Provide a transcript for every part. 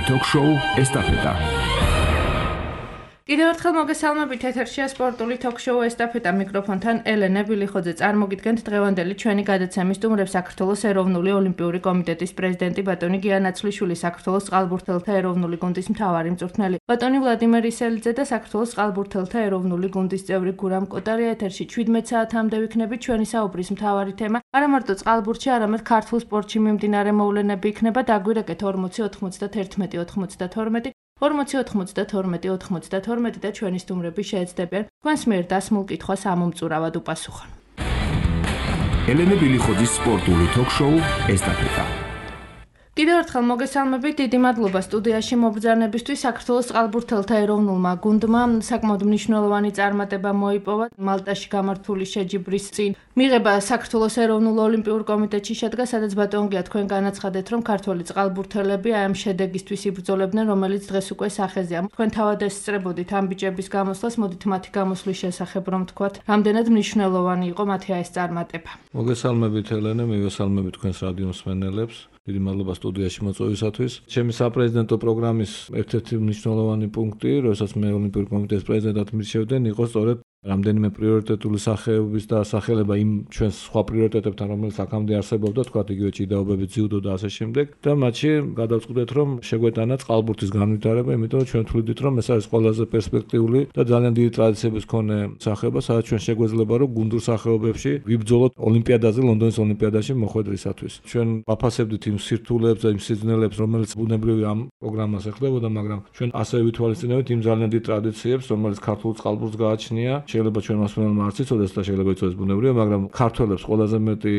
ток-шоу «Эстафета». კიდევ ერთხელ მოგესალმებით ეთერშია სპორტული ток-шоу «ესტაფეტა» მიკროფონთან ელენე ბილიხოძე. წარმოგიდგენთ დღევანდელი ჩვენი გადაცემის სტუმრებს საქართველოს ეროვნული ოლიმპიური კომიტეტის პრეზიდენტი ბატონი გია ნაცვლიშვილი, საქართველოს წყალბურთელთა ეროვნული გუნდის მთავარი მწვრთნელი ბატონი ვლადიმერ ისელიძე და საქართველოს წყალბურთელთა ეროვნული გუნდის წევრი გურამ კოტარია. ეთერში 17 საათამდე ვიქნებით. ჩვენი საუბრის მთავარი თემა არა მარტო წყალბურთში, არამედ ქართულ სპორტში მიმდინარე მოვლენები იქნება. დაგვირეკეთ 40 91 92 40 92 92 და ჩვენი სტუმრები შეეცდებიან თქვენს მიერ დასმულ კითხვას ამომწურავად უპასუხონ. ელენე ბილიხოძის სპორტული ток-шоу «Эстафета». კიდევ ერთხელ მოგესალმებით, დიდი მადლობა სტუდიაში მობრძანებისთვის. საქართველოს წყალბურთელთა ეროვნულმა გუნდმა საკმაოდ მნიშვნელოვანი წარმატება მოიპოვა მალტაში გამართული შეჯიბრის წინ. მიღება საქართველოს ეროვნულ ოლიმპიურ კომიტეტში შედგა, სადაც ბატონ გია თქვენ განაცხადეთ, რომ ქართველი წყალბურთელები აი ამ შედეგისთვის იბრძოლებდნენ, რომელიც დღეს უკვე სახეზეა. თქვენ თავად ესწრებოდით ამ ბიჭების გამოსვლას, მოდით მათი გამოსვლის შესახებ რომ თქვათ, რამდენად მნიშვნელოვანი იყო მათი ეს წარმატება. მოგესალმებით ელენე, მივესალმებით თქვენს რადიო მსმენელებს. დიდი მადლობა სტუდიაში მოწვევისათვის. ჩემი საპრეზიდენტო პროგრამის ერთ-ერთი მნიშვნელოვანი პუნქტი, როდესაც მე ოლიმპიური კომიტეტის პრეზიდენტად მირჩევდნენ, იყო სწორედ რამდენიმე პრიორიტეტული სახეობის დასახელება იმ ჩვენს სხვა პრიორიტეტებთან, რომელიც აქამდე არსებობდა, თქვათ იგივე ჭიდაობები, ძიუდო და ასე შემდეგ. და მათში გადავწყვიტეთ, რომ შეგვეტანა წყალბურთის განვითარება, იმიტომ რომ ჩვენ თვლიდით, რომ ეს არის ყველაზე პერსპექტიული და ძალიან დიდი ტრადიციების მქონე სახეობა, სადაც ჩვენ შეგვეძლება, რომ გუნდურ სახეობებში ვიბრძოლოთ ოლიმპიადაზე, ლონდონის ოლიმპიადაში მოხვედრისათვის. ჩვენ ვაფასებდით იმ სირთულეებს და იმ სიზნელებს, რომელიც ბუნებრივი ამ პროგრამას ეხლებოდა, მაგრამ ჩვენ ასევე ვითვალისწინებთ იმ ძალიან დიდ ტრადიციებს, რომელიც ქართულ წყალბურთს გააჩნია. შეიძლება ჩვენ მასწავლებლმა არც იცოდეს და შეიძლება იცოდეს ბუნებრივია, მაგრამ ქართველებს ყველაზე მეტი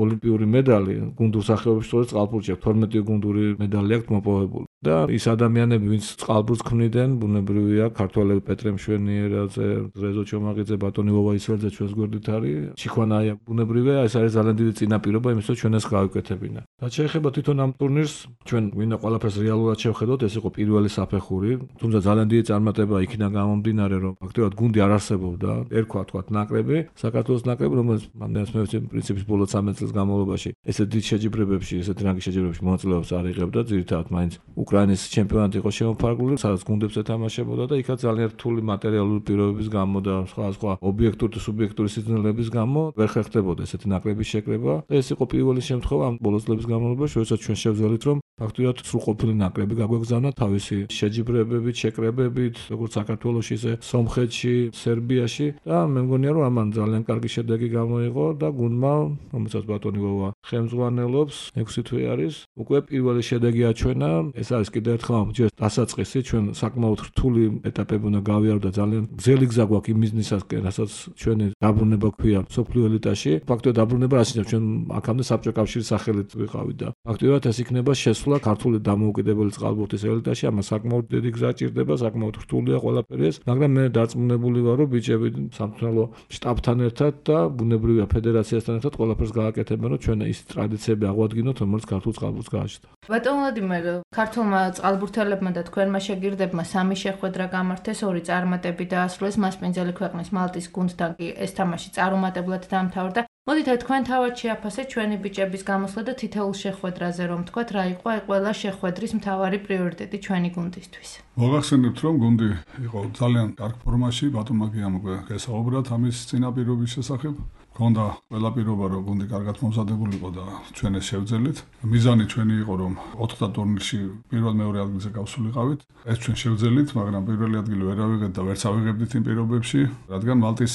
ოლიმპიური медали გუნდურ სახეობებში სწორედ წყალბურთში აქვს. 12 გუნდური медали აქვს მოპოვებული. და ის ადამიანები, ვინც წყალბურთს ქმნიდნენ, ბუნებრივია, ქართველები პეტრე მშვენიერაძე, რეზო ჩომაღიძე, ბატონი ვოვა ისველძე ჩვენს გვერდით არის. ჩიხვანაია ბუნებრივია, ეს არის ძალიან დიდი წინაპირობა იმისთვის, რომ ჩვენ ეს გავიკეთებინა. რაც შეეხება თვითონ ამ ტურნირს, ჩვენ ვინდა ყველაფერს რეალურად შევხედოთ, ეს იყო პირველი საფეხური, თუმცა ძალიან დიდი წარმატება იქიდან გამომდინარე, რომ ფაქტობრივად გუნდი არ არსებობდა, ერქვა თქვათ ნაკრები, საქართველოს ნაკრები, რომელიც მანდელს მე ვიცი პრინციპის ბოლო 13 წლის განმავლობაში ესეთ დიდ შეჯიბრებებში, ესეთ რანგის შეჯიბრებებში მონაწილეობას არ იღებდა, ძირითადად მაინც უკრაინის ჩემპიონატი იყო შემოფარგლული, სადაც გუნდებს ეთამაშებოდა და იქაც ძალიან რთული მატერიალური პირობების გამო და სხვა ობიექტური და სუბიექტური სიზნელების გამო ვერ ხერხდებოდა ესეთი ნაკრების შეკრება და ეს იყო პირველი შემთხვევა ამ ბოლო წლების განმავლობაში, როდესაც ჩვენ შევძელით, რომ ფაქტობრივად სრულყოფილი ნაკრები გაგვეგზავნა თავისი შეჯიბრებებით, შეკრებებით, როგორც საქართველოში, ისე სომხეთში, სერბიაში და მე მგონია, რომ ამან ძალიან კარგი შედეგი გამოიღო და გუნდმა, რომელსაც ბატონი ვოვა ხელმძღვანელობს, 6 თვე არის, უკვე პირველი შედეგი აჩვენა. ეს არის კიდევ ერთხელ ჯერ დასაწყისი, ჩვენ საკმაოდ რთული ეტაპები უნდა გავიარო და ძალიან გრძელი გზა გვაქვს იმ მიზნისაკენ, რასაც ჩვენი დაბრუნება ქვია სოფლიო ელიტაში. ფაქტობრივად დაბრუნება არ შეიძლება, ჩვენ აქამდე საბჭოთა კავშირის სახელით ვიყავით და ფაქტობრივად ეს იქნება შესვლა ქართული დამოუკიდებელი წყალბურთის ელიტაში. ამას საკმაოდ დიდი გზა ჭირდება, საკმაოდ რთულია ყველაფერი ეს, მაგრამ მე დარწმუნებული ვარ, რომ ბიჭები სამწვრთნელო შტაბთან ერთად და ბუნებრივია ფედერაციასთან ერთად ყველაფერს გააკეთებენ, რომ ჩვენ ის ტრადიციები აღვადგინოთ, რომელიც ქართულ წყალბურთს გააჩნდა. ბატონ ვლადიმერ, ქართულმა წყალბურთელებმა და თქვენმა შეგირდებმა 3 შეხვედრა გამართეს, 2 წარმატებით დაასრულეს, მასპინძელი ქვეყნის მალტის გუნდთან კი ეს თამაში წარუმატებლად დამთავრდა. მოდით თქვენ თავად შეაფასეთ ჩვენი ბიჭების გამოსვლა და თითოეულ შეხვედრაზე რომ თქვათ, რა იყო აი ყველა შეხვედრის მთავარი პრიორიტეტი ჩვენი გუნდისთვის. მოგახსენებთ, რომ გუნდი იყო ძალიან კარგ ფორმაში, ბატონმა გიამ უკვე გესაუბრათ ამის წინაპირობის შესახებ. ქონდა ყველა პირობა, რომ გუნდი კარგად მომზადებული იყო და ჩვენ ეს შევძელით. მიზანი ჩვენი იყო, რომ 4 ტურნირში პირველ-მეორე ადგილზე გავსულიყავით. ეს ჩვენ შევძელით, მაგრამ პირველი ადგილი ვერ ავიღეთ და ვერც ავიღებდით იმ პირობებში, რადგან მალტის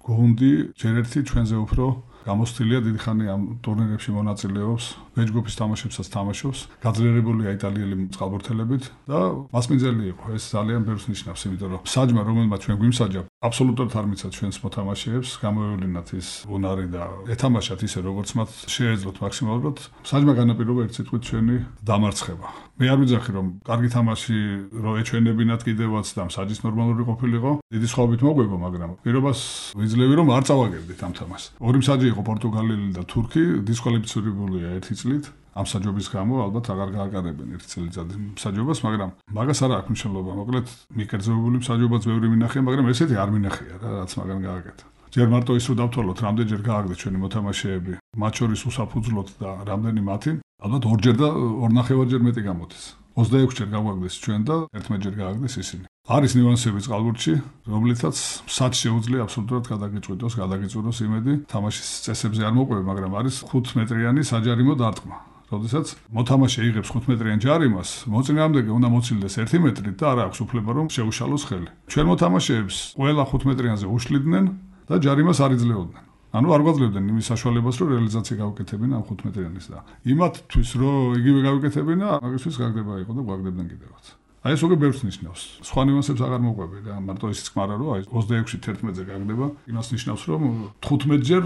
გუნდი ჯერ ერთი ჩვენზე უფრო გამოსtildeა დიდი ხანი ამ ტურნირებში მონაწილეობს, ვეჯგუფის თამაშებსაც თამაშობს, გაძლიერებულია იტალიელი წყალბურთელებით და მასპინძელი იყო. ეს ძალიან ბევრს ნიშნავს, იმიტომ რომ საჯმა, რომელმაც ჩვენ გვიმსაჯა, აბსოლუტურად არ მიცად ჩვენს მოთამაშეებს, გამოევლინათ ის უნარი და ეთამაშათ ისე, როგორც მათ შეეძლოთ მაქსიმალურად. საჯმა განაპირობა ერთ სიტყვით ჩვენი დამარცხება. მე არ ვიძახი, რომ კარგი თამაში რო ეჩვენებინათ კიდევაც და საჯის ნორმალური ყოფილიყო, დიდი სხვაობით მოგვიგო, მაგრამ პირობას ვიძლევი, რომ არ წავაგებდით ამ თამაშს. ორი მსაჯი იყო პორტუგალიელი და თურქი, დისკვალიფიცირებულია 1 წლით. ამ საჯობის გამო ალბათ აღარ გააკარებენ 1 წელიწადის მსაჯობას, მაგრამ მაგას არ აქვს მნიშვნელობა. მოკლედ, მიკერძებული მსაჯობაც ბევრი მინახია, მაგრამ ესეთი არ მინახია რა, რაც მაგან გააკეთა. ჯერ მარტო ის რომ დავთვალოთ, რამდენჯერ გააგდეთ ჩვენი მოთამაშეები, მათ შორის უსაფუძვლოდ და რამდენი მათი, ალბათ 2 ჯერ და 2.5-ჯერ მეტი გამოდის. 26-ჯერ გავაგდეს ჩვენ და 11-ჯერ გააგდეს ისინი. არის ნიუანსები წყალბურთში, რომლითაც სად შეუძლია აბსოლუტურად გადაგიწვიროს იმედი თამაშის წესებზე არ მოყვება, მაგრამ არის 5 მეტრიანი საჯარიმო დარტყმა. როდესაც მოთამაშე იღებს 5 მეტრიან ჯარიმას, მოწინააღმდეგე უნდა მოცილდეს 1 მეტრით და არ აქვს უფლება რომ შეუშალოს ხელი. ჩვენ მოთამაშეებს ყველა 5 მეტრიანზე უშლიდნენ და ჯარიმას არ იძლეოდნენ. ანუ არ გვაძლევდნენ იმის საშუალებას, რომ რეალიზაცია გავაკეთებინა ამ 5 მეტრიანის და იმათთვის რომ იგივე გავაკეთებინა, მაგისთვის გაგდება იყო და გვაგდებდნენ კიდევაც. აი ეს უკვე ბევრს ნიშნავს. სხვა ნიუანსებს აღარ მოყვები და მარტო ისიც ხმარა რომ აი 26-ში 11-ზე გაგდება, იმას ნიშნავს რომ 15-ჯერ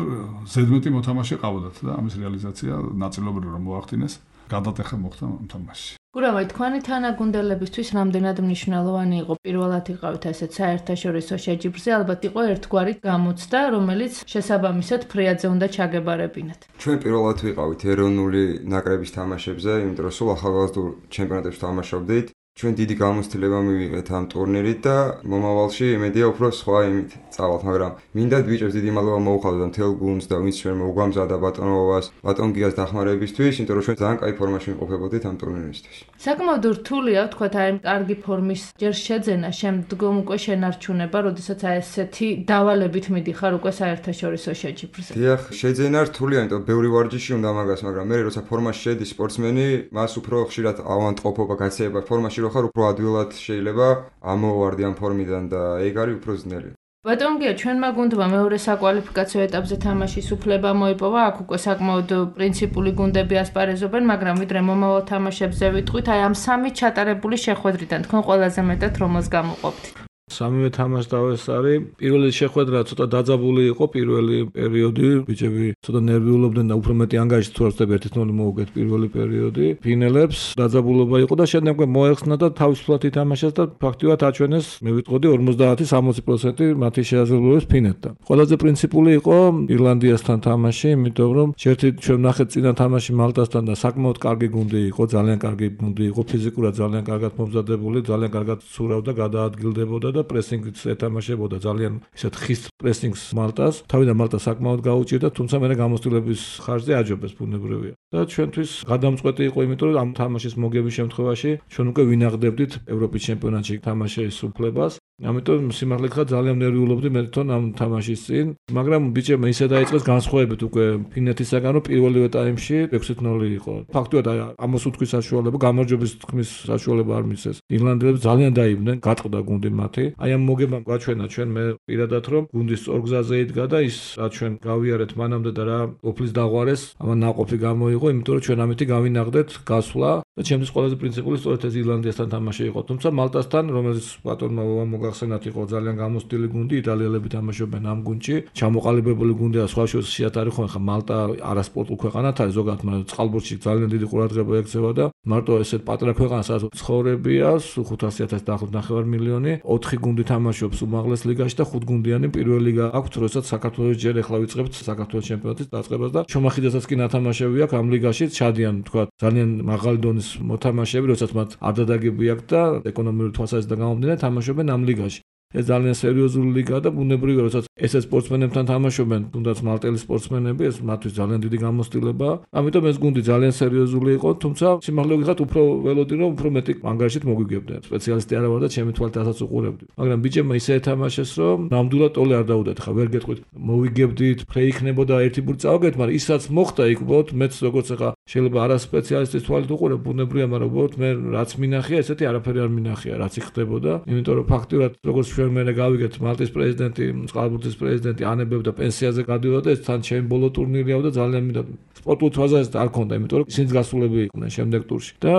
ზედმეტი მოთამაშე ყავდათ და ამის რეალიზაცია ნაწილობრივ რომ მოახდინეს, გადატეხა მოხდა თამაში. გურავი, თქვენი თანაგუნდელებისთვის რამდენად მნიშვნელოვანი იყო პირველად იყავით ასეთ საერთაშორისო შეჯიბრზე, ალბათ იყო ერთგვარი გამოცდა, რომელიც შესაბამისად ფრიადზე უნდა ჩაგებარებინათ. ჩვენ პირველად ვიყავით ეროვნული ნაკრების თამაშებზე, იმიტომ რომ სულ ახალგაზრდულ ჩემპიონატებში თამაშობდით. ჩვენ დიდი გამოცდილება მივიღეთ ამ ტურნირით და მომავალში იმედია უფრო სხვა იმით წავალთ, მაგრამ მინდა ბიჭებს დიდი მადლობა მოუხადოთ მთელ გუნდს და ვინც ჩვენ მოგვამზადა ბატონობას, ბატონ გიას დახმარებისთვის, იმიტომ რომ ჩვენ ძალიან კაი ფორმაში ვიმყოფებოდით ამ ტურნირისთვის. საკმაოდ რთულია ვთქვათ აი კარგი ფორმის ჯერ შეძენა, შემდგომ უკვე შენარჩუნება, როდესაც აი ესეთი დავალებით მიდიხარ უკვე საერთაშორისო შეჯიბრზე. დიახ, შეძენა რთულია, იმიტომ ბევრი ვარჯიში უნდა მაგას, მაგრამ მე როცა ფორმაში შედის სპორტსმენი, მას უფრო ხშირად ავანტყოფობა გაცეება ფორმაში რო ხარ უფრო ადვილად შეიძლება ამოვარდი ამ ფორმიდან და ეგ არის უფრო ძნელი. ბატონ გია, ჩვენმა გუნდმა მეორე საკვალიფიკაციო ეტაპზე თამაშის უფლება მოიპოვა, აქ უკვე საკმაოდ პრინციპული გუნდები ასპარეზობენ, მაგრამ ვიდრე მომავალ თამაშებზე ვიტყვით, აი ამ სამი ჩატარებული შეხვედრიდან თქვენ ყველაზე მეტად რომელს გამოყოფთ? სამივე თამაშდავეს არის. პირველი შეხვედრა ცოტა დაძაბული იყო, პირველი პერიოდი, ბიჭები ცოტა ნერვიულობდნენ და უფრო მეტი ანგარიშით თუ არ ვწდები 1-0 მოუგეთ პირველი პერიოდი. ფინელებს დაძაბულობა იყო და შემდეგ მოეხსნა და თავისუფლად ითამაშეს და ფაქტიურად აჩვენეს, მე ვიტყოდი 50-60% მათი შეაძლებლობებს ფინეთთან. ყველაზე პრინციპული იყო ირლანდიასთან თამაში, იმიტომ რომ ერთი ჩვენ ნახეთ წინა თამაში მალტასთან და საკმაოდ კარგი გუნდი იყო, ძალიან კარგი გუნდი იყო, ფიზიკურად ძალიან კარგად მომზადებული, ძალიან კარგად ცურავდა, გადაადგილდებოდა და პრესინგით ეთამაშებოდა ძალიან ისეთ ხის პრესინგს მალტას. თავიდან მალტა საკმაოდ გაუჭირდა, თუმცა მე გამოსტილების ხარჯზე აჯობეს ბუნებრივია. და ჩვენთვის გადამწყვეტი იყო, იმიტომ რომ ამ თამაშის მოგების შემთხვევაში ჩვენ უკვე ვინაღდებდით ევროპის ჩემპიონატში თამაშის უფლებას. ამიტომ სიმართლე გითხრათ ძალიან ნერვიულობდი მე თვითონ ამ თამაშის წინ, მაგრამ ბიჭებმა ისე დაიწყეს განსხვავებით უკვე ფინეთისაგან, რომ პირველივე ტაიმში 6-0 იყო. ფაქტობრივად ამას უთქვის საშუალება, გამარჯვების თქმის საშუალება არ მისცეს. ირლანდიელებს ძალიან დაიბნენ, გატყდა გუნდი მათი. აი ამ მოგებამ გვაჩვენა ჩვენ მე პირადად რომ გუნდის ორგზაზე იდგა და ის რა ჩვენ გავიარეთ მანამდე და რა ოფლის დაღვარეს, ამან ნაყოფი გამოიღო, იმიტომ რომ ჩვენ ამითი გავინაღდეთ გასვლა და ჩემთვის ყველაზე პრინციპული სწორედ ეს ირლანდიასთან თამაში იყო. თუმცა მალტასთან, რომელიც ბატონმა მოგახსენათ იყო ძალიან გამოსტილი გუნდი, იტალიელები თამაშობენ ამ გუნდში, ჩამოყალიბებული გუნდი და სხვა შორის შეატარი ხო ხა მალტა არასპორტულ ქვეყანად არის ზოგადად, მაგრამ წყალბურთში ძალიან დიდი ყურადღება ექცევა და მარტო ესეთ პატარა ქვეყანა სადაც ცხოვრებია 500,000 დაახლოებით 9 მილიონი, 4 გუნდი თამაშობს უმაღლეს ლიგაში და 5 გუნდიანი პირველი ლიგა აქვს, როდესაც საქართველოს ჯერ ახლა ვიწყებთ საქართველოს ჩემპიონატის დაწყებას და შრომახიდასაც კი ნათამაშები აქვს ამ ლიგაში, ჩადიან თქვა ძალიან მაღალი დონის მოთამაშეები, როდესაც მათ არ დადაგები აქვს და ეკონომიკური თვალსაზრისით გამომდინარე თამაშობენ ამ ლიგაში. ეს ძალიან სერიოზული ლიგაა და ბუნებრივია, როდესაც ესეც სპორტსმენებთან თამაშობენ, თუნდაც მალტელი სპორტსმენები, ეს მათთვის ძალიან დიდი გამოცდილებაა. ამიტომ ეს გუნდი ძალიან სერიოზული იყო, თუმცა სიმართლე გითხრათ, უფრო ველოდი რომ უფრო მეტი ანგარიშით მოგვიგებდნენ. სპეციალისტი არა ვარ და ჩემი თვალით ასაც უყურებდი. მაგრამ ბიჭებმა ისე ეთამაშეს, რომ ნამდვილად ტოლე არ დაუდათ. ხა ვერ გეტყვით, მოვიგებდით, ფრე იქნებოდა ერთი ბურთი წავაგეთ, მაგრამ ისაც მოხდა იქ უბრალოდ მეც როგორც ხა შეიძლება არა სპეციალისტის თვალით უყურებ, ბუნებრივია, მაგრამ უბრალოდ მე რაც მინახია, ესეთი არაფერი არ მინახია, რაც იქ ხდებოდა. იმიტომ რომ ფაქტიურად როგორც ჩვენ მე გავიგეთ მალტის პრეზიდენტი, წყალბურთის პრეზიდენტი ანებებდა პენსიაზე გადიოდა და ეს თან ჩემი ბოლო ტურნირია და ძალიან მინდა სპორტულ თვალსაზრისით არ ქონდა, იმიტომ რომ ისინიც გასულები იყვნენ შემდეგ ტურში. და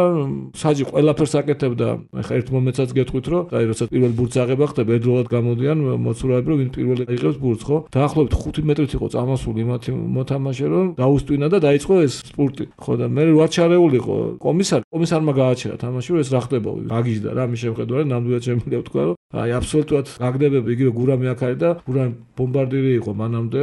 საჯი ყველაფერს აკეთებდა. ახლა ერთ მომენტსაც გეტყვით, რომ აი როცა პირველ ბურთს აღება ხდება, ერთდროულად გამოდიან მოცურავები, რომ ვინ პირველი იღებს ბურთს, ხო? დაახლოებით 5 მეტრით იყო წამასული იმათი მოთამაშე, რომ დაუსტვინა და დაიწყო ეს სპურტი. ხო და მე ვარჩარეული იყო კომისარმა გააჩერა თამაში, რომ ეს რა ხდება. გაგიჟდა რა მის შემხედვარი, ნამდვილად შემიძლია ვთქვა, რომ აი აბსოლუტურად გაგდებები იგივე გურამი აქ არის და გურამი ბომბარდირი იყო მანამდე,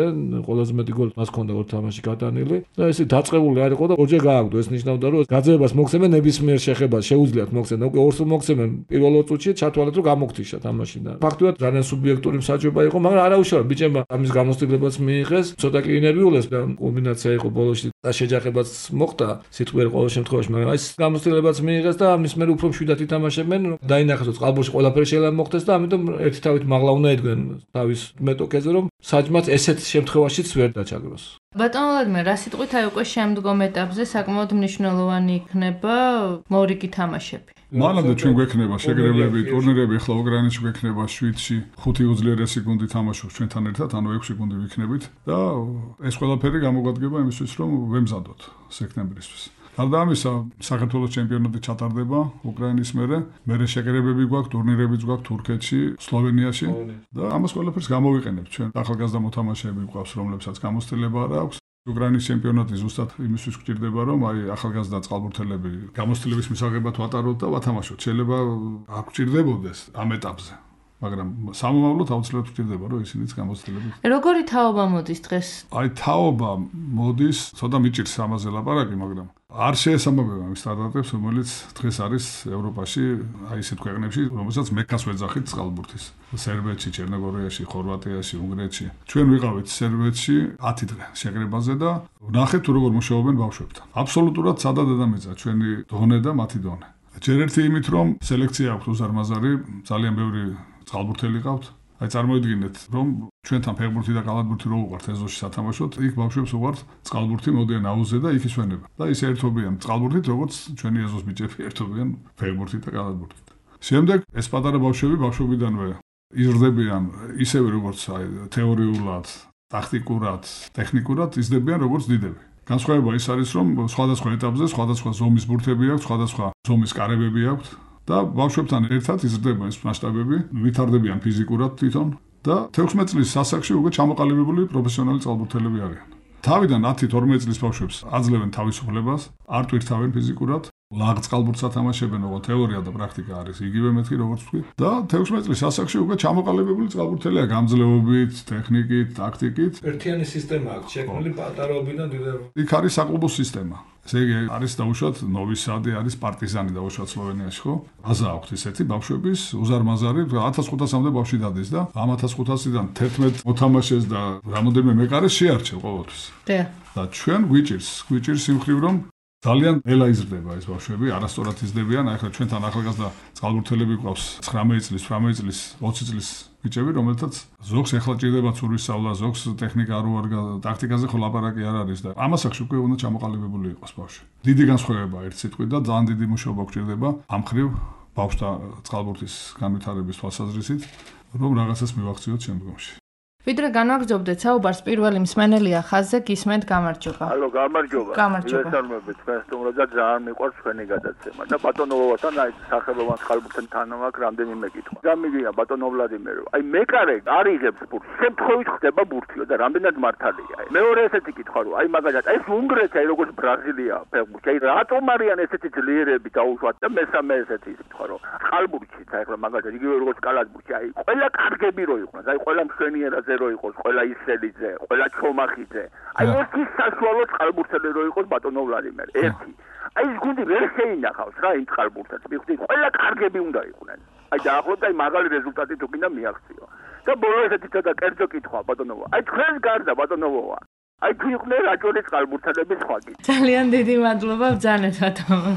ყველაზე მეტი გოლი მას ჰქონდა ორ თამაში გატანილი და ესე დაწყებული არ იყო და ორჯერ გააგდო. ეს ნიშნავდა რომ გაძევებას მოგცემენ ნებისმიერ შეხებას, შეუძლიათ მოგცემენ. უკვე ორს მოგცემენ პირველ ორ წუთში ჩათვალეთ რომ გამოგთიშა თამაში და ფაქტობრივად ძალიან სუბიექტური მსაჯობა იყო, მაგრამ არაუშავად ბიჭებმა ამის გამოცდილებაც მიიღეს, ცოტა კი ინერვიულეს და კომბინაცია იყო ბოლოში და შეჯახებაც მოხდა სიტყვიერ ყოველ შემთხვევაში, მაგრამ ეს გამოცდილებაც მიიღეს და ამის მერე უფრო მშვიდად ითამაშებენ, დაინახეს რომ წყალბურთში ყველაფერი შეიძლება მოხდეს და ამიტომ ერთი თავით მაღლა უნდა ედგნენ თავის მეტოქეზე რომ საჯმაც ესეთ შემთხვევაშიც ვერ დაჩაგროს. ბატონო ვლადიმერ, რა სიტყვით აი უკვე შემდგომ ეტაპზე საკმაოდ მნიშვნელოვანი იქნება მორიგი თამაშები. მანამდე ჩვენ გვექნება შეგრებები, ტურნირები, ახლა უკრაინაში გვექნება 7-ში 5 უძლიერესი გუნდი თამაშობს ჩვენთან ერთად, ანუ 6 გუნდი ვიქნებით და ეს ყველაფერი გამოგვადგება იმისთვის, რომ ვემზადოთ სექტემბრისთვის. გარდა ამისა, საქართველოს ჩემპიონატი ჩატარდება უკრაინის მერე შეგრებები გვაქვს, ტურნირებიც გვაქვს თურქეთში, სლოვენიაში და ამას ყველაფერს გამოვიყენებთ. ჩვენ ახალგაზრდა მოთამაშეები გვყავს, რომლებსაც გამოცდილება არ აქვს. უკრაინის ჩემპიონატი ზუსტად იმისთვის გვჭირდება, რომ აი ახალგაზრდა წყალბურთელები გამოცდილების მისაღებად ვატაროთ და ვათამაშოთ. შეიძლება არ გვჭირდებოდეს ამ ეტაპზე, მაგრამ სამომავლოდ აუცილებლად გვჭირდება, რომ ისინიც გამოცდილებით. როგორი თაობა მოდის დღეს? აი თაობა მოდის, ცოტა მიჭირს ამაზე ლაპარაკი, მაგრამ არ შეესაბამება იმ სტანდარტებს, რომელიც დღეს არის ევროპაში, აი ისეთ ქვეყნებში, რომელსაც მექას ვეძახით წყალბურთის. სერბეთში, ჩერნოგორიაში, ხორვატიაში, უნგრეთში. ჩვენ ვიყავით სერბეთში 10 დღე შეკრებაზე და ვნახეთ თუ როგორ მუშაობენ ბავშვებთან. აბსოლუტურად სადა დედამიწა ჩვენი დონე და მათი დონე. ჯერ ერთი იმით, რომ სელექცია აქვს უზარმაზარი, ძალიან ბევრი წყალბურთელი ყავთ. აი წარმოიდგინეთ, რომ ჩვენთან ფეხბურთი და კალათბურთი რო უყვართ ეზოში სათამაშოდ, იქ ბავშვებს უყვართ წყალბურთი, მოდიან აუზზე და იქ ისვენებენ. და ისე ერთობიან წყალბურთით, როგორც ჩვენი ეზოს ბიჭები ერთობიან ფეხბურთით და კალათბურთით. შემდეგ ეს პატარა ბავშვები ბავშვობიდანვე იზრდებიან ისევე როგორც აი თეორიულად, ტაქტიკურად, ტექნიკურად იზრდებიან როგორც დიდები. განსხვავება ის არის, რომ სხვადასხვა ეტაპზე სხვადასხვა ზომის ბურთები აქვს, სხვადასხვა ზომის კარებები აქვს. და ბავშვებთან ერთად იზრდება ეს მასშტაბები, ვითარდებიან ფიზიკურად თვითონ და 16 წლის ასაკში უკვე ჩამოყალიბებული პროფესიონალი წყალბურთელები არიან. თავიდან 10-12 წლის ბავშვებს აძლევენ თავისუფლებას, არ ტვირთავენ ფიზიკურად, ლაღ წყალბურთს ათამაშებენ, ოღონდ თეორია და პრაქტიკა არის იგივე მეთქი როგორც თქვი და 16 წლის ასაკში უკვე ჩამოყალიბებული წყალბურთელია გამძლეობით, ტექნიკით, ტაქტიკით. ერთიანი სისტემა აქვს შექმნილი პატარაობიდან დიდებამდე. იქ არის საკლუბო სისტემა. ესე იგი არის დაუშვათ ნოვისადი, არის პარტიზანი დაუშვათ სლოვენიაში, ხო? აზა აქვთ ისეთი ბავშვების უზარმაზარი 1500-მდე ბავშვი დადის და ამ 1500-დან 11 მოთამაშეს და რამოდენიმე მეკარეს შეარჩევ ყოველთვის. და ჩვენ გვიჭირს იმ ხრივ რომ ძალიან ნელა იზრდება ეს ბავშვები, არასწორად იზრდებიან. ახლა ჩვენთან ახალგაზრდა წყალბურთელები გვყავს 19 წლის, 18 წლის, 20 წლის ბიჭები, რომელთაც ზოგს ეხლა ჭირდება ცურვის სწავლა, ზოგს ტექნიკა არ უარგა, ტაქტიკაზე ხო ლაპარაკი არ არის და ამ ასაკში უკვე უნდა ჩამოყალიბებული იყოს ბავშვი. დიდი განსხვავება ერთ სიტყვით და ძალიან დიდი მუშაობა გვჭირდება ამ ხრივ ბავშვთა წყალბურთის განვითარების თვალსაზრისით, რომ რაღაცას მივახციოთ შემდგომში. ვიდრე განვაგრძობდეთ საუბარს, პირველი მსმენელია ხაზზე, გისმენთ, გამარჯობა. ალო, გამარჯობა. მოგესალმებით, თქვენ სტუმრად და ძალიან მიყვარს თქვენი გადაცემა. და ბატონო ვოვასთან აი სახელოვან წყალბურთთან აქვს რამდენიმე კითხვა. გამიგია ბატონო ვლადიმერო, აი მეკარე არიღებს ბურთს, შემთხვევით ხდება ბურთიო და რამდენად მართალია. მეორე ესეთი კითხვა რომ აი მაგალითად ეს უნგრეთი აი როგორც ბრაზილია ფეხბურთი, აი რატომ არიან ესეთი ძლიერები დაუშვათ და მესამე ესეთი კითხვა რომ წყალბურთში აი ახლა მაგალითად იგივე როგორც კალათბურთში აი ყველა კარგები რო იყვნენ, აი ყველა მშვენიერად რო იყოს, ყველა ისელიძე, ყველა ჩომახიძე. აი ერთი საშუალო წყალბურთელი რო იყოს ბატონო ვლადიმერ, ერთი. აი ეს გუნდი ვერ შეინახავს რა იმ წყალბურთებს. მიხდით, ყველა კარგები უნდა იყვნენ. აი დაახლოებით აი მაგალი რეზულტატი თუ კიდე მიაღწიო. და ბოლო ესეთი ცოტა კერძო კითხვა ბატონო. აი თქვენ გარდა ბატონოა. აი თუ იყვნენ რაჭოლის წყალბურთელები სხვა კი. ძალიან დიდი მადლობა ბრძანეთ ბატონო.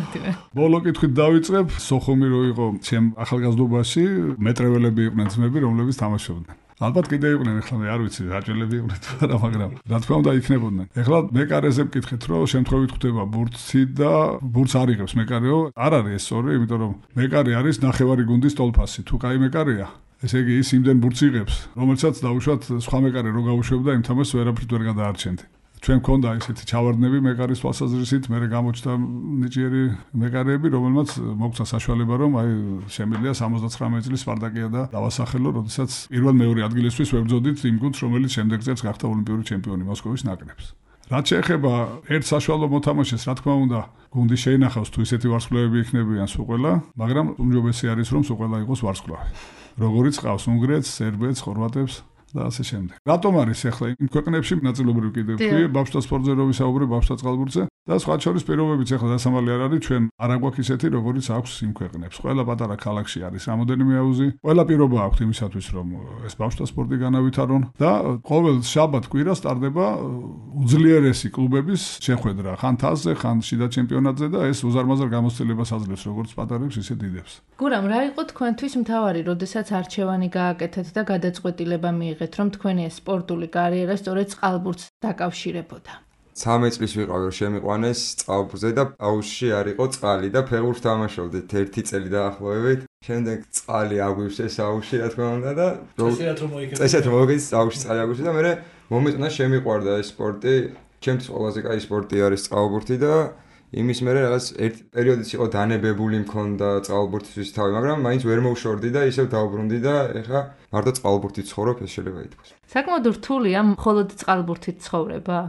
ბოლო კითხვით დავიწყებ, სოხუმი რო იყო ჩემ ახალგაზრდობაში, მეტრეველები იყვნენ ძმები, რომლებიც თამაშობდნენ. ალბათ კიდე იყვნენ, ეხლა მე არ ვიცი, რაჭელები იყვნენ თუ არა, მაგრამ რა თქმა უნდა იქნებოდნენ. ეხლა მეკარეზე მკითხეთ, რომ შემთხვევით ხდება ბურთი და ბურთს არიღებს მეკარეო, არ არის ეს სწორი, იმიტომ რომ მეკარე არის ნახევარი გუნდის ტოლფასი. თუ კაი მეკარეა, ესე იგი ის იმდენ ბურთს იღებს, რომელსაც დაუშვათ სხვა მეკარე რო გაუშვებდა, იმ თამაშს ვერაფრით ვერ გადაარჩენდი. ჩვენ მქონდა ესეთი ჩავარდნები მეკარის თვალსაზრისით, მე გამოჩნდა ნიჭიერი მეკარეები, რომელმაც მოგცა საშუალება, რომ აი შემიძლია 79 წლის სპარტაკია და დავასახელო, როდესაც პირველ-მეორე ადგილისთვის ვებრძოდით იმ გუნდს, რომელიც შემდეგ წელს გახდა ოლიმპიური ჩემპიონი მოსკოვის ნაკრებს. რაც შეეხება ერთ საშუალო მოთამაშეს, რა თქმა უნდა, გუნდი შეინახავს თუ ისეთი ვარსკვლავები იქნებიან სულ ყველა, მაგრამ უმჯობესი არის რომ სულ ყველა იყოს ვარსკვლავი. როგორიც ყავს უნგრეთს, სერბეთს, ხორვატებს და ასე შემდეგ. რატომ არის ახლა იმ ქვეყნებში ნაწილობრივ კიდევ ვთქვი, ბავშვთა სპორტზე რო ვისაუბრე, ბავშვთა წყალბურთზე და სხვა შორის პირობებიც ახლა დასამალი არ არის, ჩვენ არ აგვაქვს ისეთი, როგორიც აქვს იმ ქვეყნებს. ყველა პატარა ქალაქში არის რამოდენიმე აუზი, ყველა პირობა აქვს იმისათვის, რომ ეს ბავშვთა სპორტი განავითარონ და ყოველ შაბათ-კვირა სტარდება უძლიერესი კლუბების შეხვედრა, ხან თასზე, ხან შიდა ჩემპიონატზე და ეს უზარმაზარ გამოცდილებას აძლევს როგორც პატარებს, ისე დიდებს. გურამ, რა იყო თქვენთვის მთავარი, როდესაც არჩევანი გააკეთეთ და გადაწყვეტილება მიიღეთ, რომ თქვენი ეს სპორტული კარიერა სწორედ წყალბურთს დაკავშირებოდა? 13 წლის ვიყავი, რომ შემიყვანეს წყალბურთზე და აუზში არ იყო წყალი და ფეხბურთს თამაშობდით 1 წელი დაახლოებით. შემდეგ წყალი აგვივსეს აუზში, რა თქმა უნდა და წესით რომ მოიგეთ აუზში წყალი აგვივსეს და მე მომეწონა შემიყვარდა ეს სპორტი. ჩემთვის ყველაზე კაი სპორტი არის წყალბურთი და იმის მერე რაღაც ერთ პერიოდიც იყო დანებებული მქონდა წყალბურთისთვის თავი, მაგრამ მაინც ვერ მოვშორდი და ისევ დავბრუნდი და ეხლა მარტო წყალბურთით ცხოვრობ, ეს შეიძლება ითქვას. საკმაოდ რთულია მხოლოდ წყალბურთით ცხოვრება?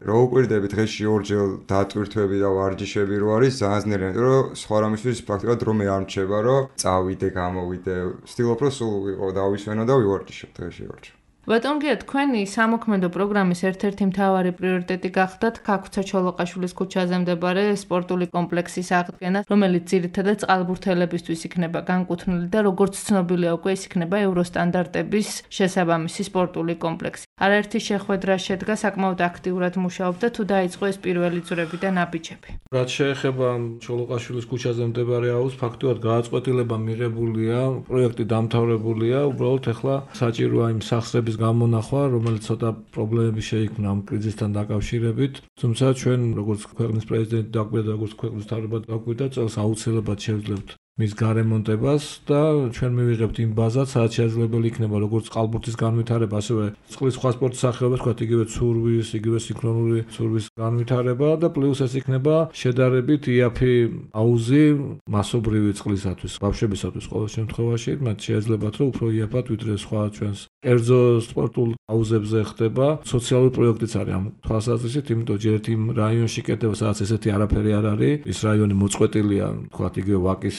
რო უკვირდები დღეში 2 ჯერ დატვირთვები და ვარჯიშები რო არის ძალიან ძნელი, იმიტომ რომ სხვა რამისთვის პრაქტიკულად რომე არ მრჩება, რომ წავიდე, გამოვიდე. ვცდილობ რომ სულ ვიყო დავისვენო და ვივარჯიშო დღეში 2 ჯერ. ბატონ გია, თქვენი სამოქმედო პროგრამის ერთ-ერთი მთავარი პრიორიტეტი გახდათ ქაქუცა ჩოლოყაშვილის ქუჩაზე მდებარე სპორტული კომპლექსის აღდგენა, რომელიც ძირითადად წყალბურთელებისთვის იქნება განკუთვნილი და როგორც ცნობილია უკვე ის იქნება ევროსტანდარტების შესაბამისი სპორტული კომპლექსი. არაერთი შეხვედრა შედგა, საკმაოდ აქტიურად მუშაობდა, თუ დაიწყო ეს პირველი ძვრები და ნაბიჯები. რაც შეეხება ჩოლოყაშვილის ქუჩაზე მდებარე აუზს, ფაქტობრივად გადაწყვეტილება მიღებულია, პროექტი დამთავრებულია, უბრალოდ ახლა საჭიროა იმ სახსრების გამონახვა, რომელიც ცოტა პრობლემები შეიქმნა ამ კრიზისთან დაკავშირებით. თუმცა ჩვენ როგორც ქვეყნის პრეზიდენტი დაგვიდა, როგორც ქვეყნის მთავრობა დაგვიდა, წელს აუცილებლად შევძლებთ მის გარემონტებას და ჩვენ მივიღებთ იმ ბაზას, სადაც შესაძლებელი იქნება როგორც წყალბურთის განვითარება, ასევე წყლის სხვა სპორტის სახეობებს, თქვათ იგივე ცურვის, იგივე სინქრონული ცურვის განვითარება და პლუს ეს იქნება შედარებით იაფი აუზი მასობრივი წყლისათვის, ბავშვებისათვის ყოველ შემთხვევაში, მათ შეეძლებათ რომ უფრო იაფად ვიდრე სხვა ჩვენს კერძო სპორტულ აუზებზე ხდება. სოციალური პროექტიც არის ამ თვალსაზრისით, იმიტომ ჯერ ერთ იმ რაიონში კეთდება, სადაც ესეთი არაფერი არ არის, ის რაიონი მოწყვეტილია, თქვათ იგივე ვაკის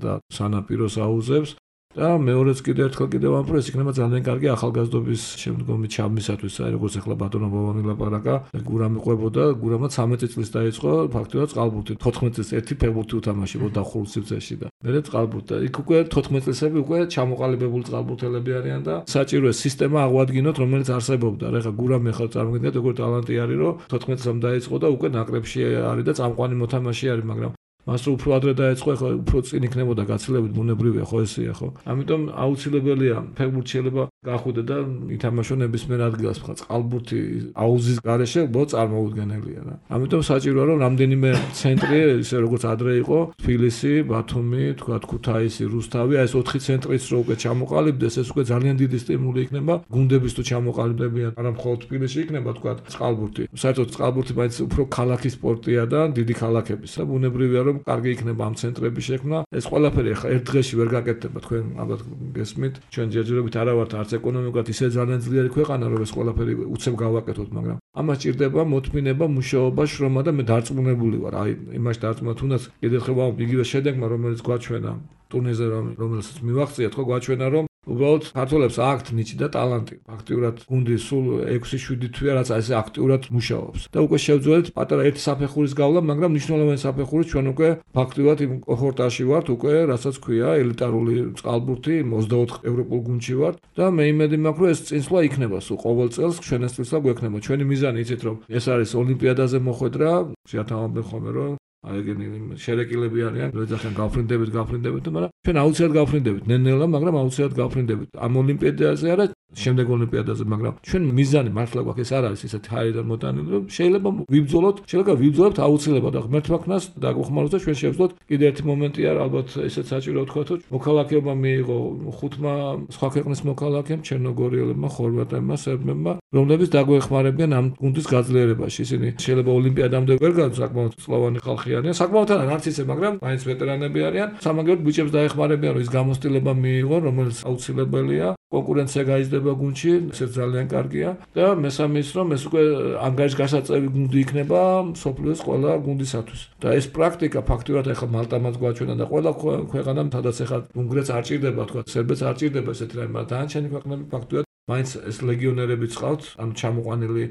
და სანაპიროს აუზებს და მეორეც კიდევ ამ პროექტს იქნება ძალიან კარგი ახალგაზრდობის შემდგომი ჩაბმისათვის, როგორც ახლა ბატონო ბობანი ლაპარაკა, გურამი ყვებოდა, გურამაც 13 წლის დაიწყო ფაქტობრივად წყალბურთი, 14 წლის ერთი ფეხბურთი უთამაშებოდა ხურულის სივრცეში და მე წყალბურთი. იქ უკვე 14 წლისები უკვე ჩამოყალიბებული წყალბურთელები არიან და საჭიროა სისტემა აღვადგინოთ, რომელიც არსებობდა. ეხლა გურამი ახლა წარმოგიდგენთ, როგორ ტალანტი არის, რომ 14 წლამდე დაიწყო და უკვე ნაკრებში არის და წამყვანი მოთამაშე არის, მაგრამ მას უფრო ადრე დაეწყო, ახლა უფრო წინ იქნებოდა გაცილებით ბუნებრივია, ხო ესეა, ხო? ამიტომ აუცილებელია ფეხბურთი შეიძლება გახვიდე და ითამაშო ნებისმიერ ადგილას, ხა წყალბურთი აუზის გარეშე უბრალოდ წარმოუდგენელია რა. ამიტომ საჭიროა რომ რამდენიმე ცენტრი, ისე როგორც ადრე იყო, თბილისი, ბათუმი, თქვა ქუთაისი, რუსთავი, აი ეს 4 ცენტრიც რო უკვე ჩამოყალიბდეს, ეს უკვე ძალიან დიდი სტიმული იქნება გუნდების თუ ჩამოყალიბებიან, არა მხოლოდ თბილისში იქნება თქვა წყალბურთი. საერთოდ წყალბურთი მაინც უფრო ქალაქის სპორტია და დიდი ქალაქების და ბუნებრივია რომ კარგი იქნება ამ ცენტრების შექმნა. ეს ყველაფერი ახლა ერთ დღეში ვერ გაკეთდება, თქვენ ალბათ გესმით. ჩვენ ჯერჯერობით არა ვართ არც ეკონომიკურად ისე ძალიან ძლიერი ქვეყანა, რომ ეს ყველაფერი უცებ გავაკეთოთ, მაგრამ ამას ჭირდება მოთმინება, მუშაობა, შრომა და მე დარწმუნებული ვარ. აი, იმაში დარწმუნა თუნდაც კიდევ ხება იგივე შედეგმა, რომელიც გვაჩვენა ტურნირზე, რომელსაც მივახციეთ, ხო გვაჩვენა, რომ უბრალოდ ქართველებს აქვთ ნიჭი და ტალანტი. ფაქტიურად გუნდი სულ 6-7 თვეა, რაც ასე აქტიურად მუშაობს. და უკვე შევძველთ პატარა ერთი საფეხურის გავლა, მაგრამ მნიშვნელოვანი საფეხურის ჩვენ უკვე ფაქტიურად იმ კოჰორტაში ვართ, უკვე რასაც ქვია ელიტარული წყალბურთი, 24 ევროპულ გუნდში ვართ და მე იმედი მაქვს, რომ ეს წინსვლა იქნება სულ ყოველ წელს, ჩვენ ეს წინსვლა გვექნება. ჩვენი მიზანი იცით რომ ეს არის ოლიმპიადაზე მოხვედრა, შეათავაზებენ ხოლმე რომ აი ეგენი შერეკილები არიან, როეძახიან გავფრინდებით, მაგრამ ჩვენ აუცილებლად გავფრინდებით, ნელ-ნელა, მაგრამ აუცილებლად გავფრინდებით. ამ ოლიმპიადაზე არა, შემდეგ ოლიმპიადაზე, მაგრამ ჩვენ მიზანი მართლა გვაქვს, ეს არ არის ისეთი ჰაერიდან მოტანილი, რომ შეიძლება ვიბრძოლოთ აუცილებლად. ღმერთმა ქნას დაგვეხმაროს და ჩვენ შევძლოთ. კიდევ ერთი მომენტია, ალბათ ესეც საჭირო ვთქვათ, რომ მოქალაქეობა მიიღო 5 სხვა ქვეყნის მოქალაქემ, ჩერნოგორიელებმა, ხორვატებმა, სერბებმა, რომლებიც დაგვეხმარებიან ამ გუნდის გაძლიერებაში. ისინი შეიძლება ოლიმპიადამდე ვერ გავწყვეტ, საკმაოდ წლოვანი ხალხი არიან, საკმაოდ არც ისე, მაგრამ მაინც ვეტერანები არიან. სამაგეროდ ბიჭებს დაეხმარებიან, რომ ის გამოცდილება მიიღონ, რომელიც აუცილებელია. კონკურენცია გაიზრდება გუნდში, ეს ძალიან კარგია და მესამე ის რომ ეს უკვე ანგარიშგასაწევი გუნდი იქნება მსოფლიოს ყველა გუნდისათვის. და ეს პრაქტიკა ფაქტურად ახლა მალტამაც გვაჩვენა და ყველა ქვეყანამ თადაც ახლა უნგრეთს არ ჭირდება, თქვა სერბეთს არ ჭირდება ესეთი რამე, მაგრამ დანარჩენი ქვეყნები ფაქტურად მაინც ეს ლეგიონერები წყავთ, ანუ ჩამოყვანილი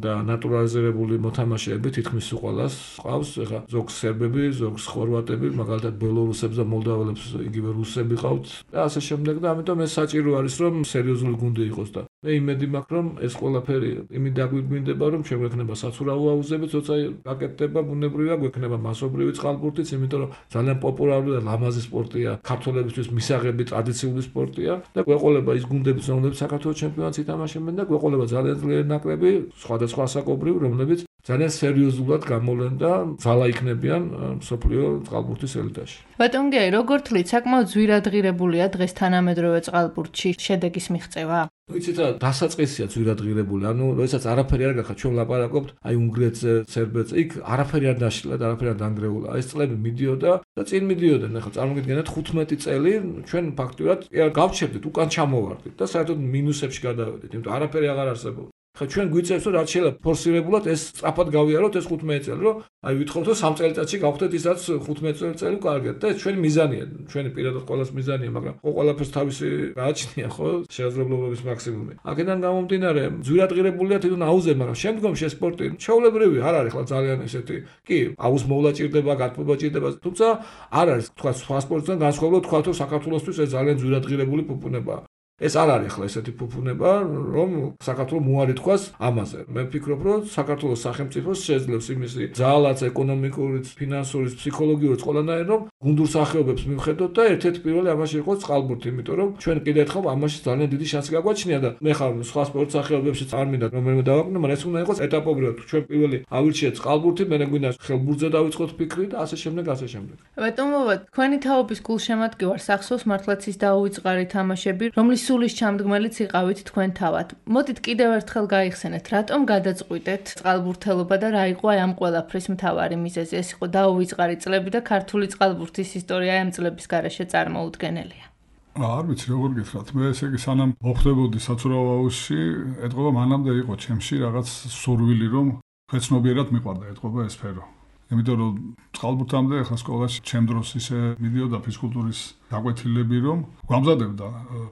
და ნატურალიზირებული მოთამაშეები თითქმის უყოლას ყავს. ეხლა ზოგს სერბები, ზოგს ხორვატები, მაგალითად ბელორუსებს და მოლდაველებს იგივე რუსები ყავთ და ასე შემდეგ და ამიტომ ეს საჭირო არის რომ სერიოზული გუნდი იყოს და მე იმედი მაქვს რომ ეს ყველაფერი იმით დაგვიგვინდება რომ ჩვენ გვექნება საცურაო აუზები, თორსა გაკეთდება ბუნებრივია, გვექნება მასობრივი წყალბურთიც, იმიტომ რომ ძალიან პოპულარული და ლამაზი სპორტია, ქართველებისთვის მისაღები ტრადიციული სპორტია და გვეყოლება ის გუნდებიც, რომლებიც საქართველოს ჩემპიონატს ითამაშებენ და გვეყოლება ძალიან ძლიერი ნაკრები, სხვადასხვა ასაკობრივი, რომლებიც ძალიან სერიოზულად გამოვლენ და ძალა იქნებიან მსოფლიო წყალბურთის ელიტაში. ბატონ გიაი, როგორ თვლით, საკმაოდ ძვირადღირებულია დღეს თანამედროვე წყალბურთში შედეგის მიღწევა? იცით რა, დასაწყისია ძვირადღირებული. ანუ როდესაც არაფერი არ გახდა, ჩვენ ვლაპარაკობთ აი უნგრეთზე, სერბეთზე, იქ არაფერი არ დაშლა და არაფერი არ დანგრეულა. ეს წლები მიდიოდა და წინ მიდიოდნენ. ახლა წარმოგიდგენთ 15 წელი ჩვენ ფაქტურად გავჩერდით, უკან ჩამოვარდით და საერთოდ მინუსებში გადავედით, იმიტომ არაფერი აღარ არსებობდა. ხა ჩვენ გვიწევს რომ რაც შეიძლება ფორსირებულად ეს სწრაფად გავიაროთ ეს 15 წელი, რომ აი ვითხოვთ რომ 3 წელიწადში გავხდეთ ისაც 15 წელი ვკარგეთ და ეს ჩვენი მიზანია, ჩვენი პირადად ყოველას მიზანია, მაგრამ ყველაფერს თავისი გააჩნია, ხო, შესაძლებლობების მაქსიმუმი. აქედან გამომდინარე, ძვირადღირებულია თვითონ აუზე, მაგრამ შემდგომში ეს სპორტი ჩვეულებრივი არ არის ხლა ძალიან ესეთი. კი, აუზ მოვლა ჭირდება, გათბობა ჭირდება, თუმცა არ არის თქვა სხვა სპორტთან განსხვავებულად თქვა რომ საქართველოსთვის ეს ძალიან ძვირადღირებული ფუფუნებაა. ეს არ არის ხლა ესეთი ფუფუნება, რომ საქართველოს მოარი თქვას ამაზე. მე ვფიქრობ, რომ საქართველოს სახელმწიფოს შეძლებს იმისი ძალაც ეკონომიკურიც, ფინანსურიც, ფსიქოლოგიურიც ყველანაირ, რომ გუნდურ სახეობებს მივხედოთ და ერთ-ერთი პირველი ამაში იყოს წყალბურთი, იმიტომ რომ ჩვენ კიდევ ერთხელ ამაში ძალიან დიდი შანსი გაგვაჩნია და მე ხარ სხვა სპორტ სახეობებშიც არ მინდა რომელიმე დავაკნო, მაგრამ ეს უნდა იყოს ეტაპობრივად. ჩვენ პირველი ავირჩიეთ წყალბურთი, მე გვინდა ხელბურთზე დავიწყოთ ფიქრი და ასე შემდეგ, ასე შემდეგ. ბატონ მოვა, თქვენი თაობის გულშემატკივარ სახსოვს მართლაც ის დაუვიწყარი თამაშები, რომლის სულის ჩამდგმელიც იყავით თქვენ თავად. მოდით კიდევ ერთხელ გაიხსენეთ, რატომ გადაწყვიტეთ წყალბურთელობა და რა იყო ამ ყველაფრის მთავარი მიზეზი? ეს იყო დაუვიწყარი წლები და ქართული წყალბურთის ისტორია ამ წლების გარეშე წარმოუდგენელია. არ ვიცი როგორ გითხრათ, მე ესე იგი სანამ მოხდებოდი საცურაო აუზში, ეთყობა მანამდე იყო ჩემში რაღაც სურვილი რომ ქვეცნობიერად მიყვარდა ეთყობა ეს სფერო. იმიტომ რომ წყალბურთამდე ახლა სკოლაში ჩემ დროს ისე მიდიოდა ფიზკულტურის გაკვეთილები, რომ გვამზადებდა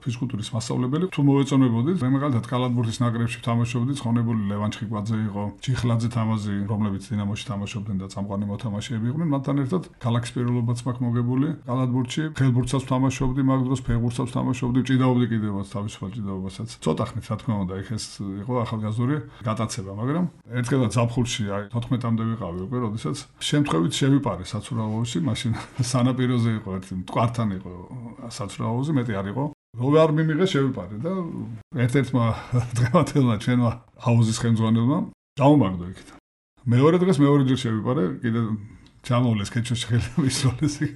ფიზკულტურის მასწავლებელი. თუ მოეწონებოდით, მე მაგალითად კალათბურთის ნაკრებში თამაშობდი, ცხონებული ლევან ჩხიკვაძე იყო, ჩიხლაძე თამაზი, რომლებიც დინამოში თამაშობდნენ და წამყვანი მოთამაშეები იყვნენ, მათთან ერთად ქალაქის პირველობაც მაქვს მოგებული. კალათბურთში ხელბურთსაც თამაშობდი, მაგ დროს ფეხბურთსაც თამაშობდი, ჭიდაობდი კიდევაც თავისუფალ ჭიდაობასაც. ცოტა ხნით რა თქმა უნდა, იქ ეს იყო ახალგაზრდული გატაცება, მაგრამ ერთხელაც ზაფხულში აი 14-მდე ვიყავი უკვე, როდესაც შემთხვევით შევიპარე საცურაო აუზში, მაშინ სანაპიროზე იყო ერთი მტკვართან იყო საცურაო აუზი, მეტი არ იყო. რო არ მიმიღე შევიპარე და ერთ-ერთმა დღევანდელმა ჩვენმა აუზის ხელმძღვანელმა გამომაგდო იქით. მეორე დღეს მეორე ჯერ შევიპარე, კიდე ჩამოვლეს ქეჩოში ხელი მისროლეს იქ.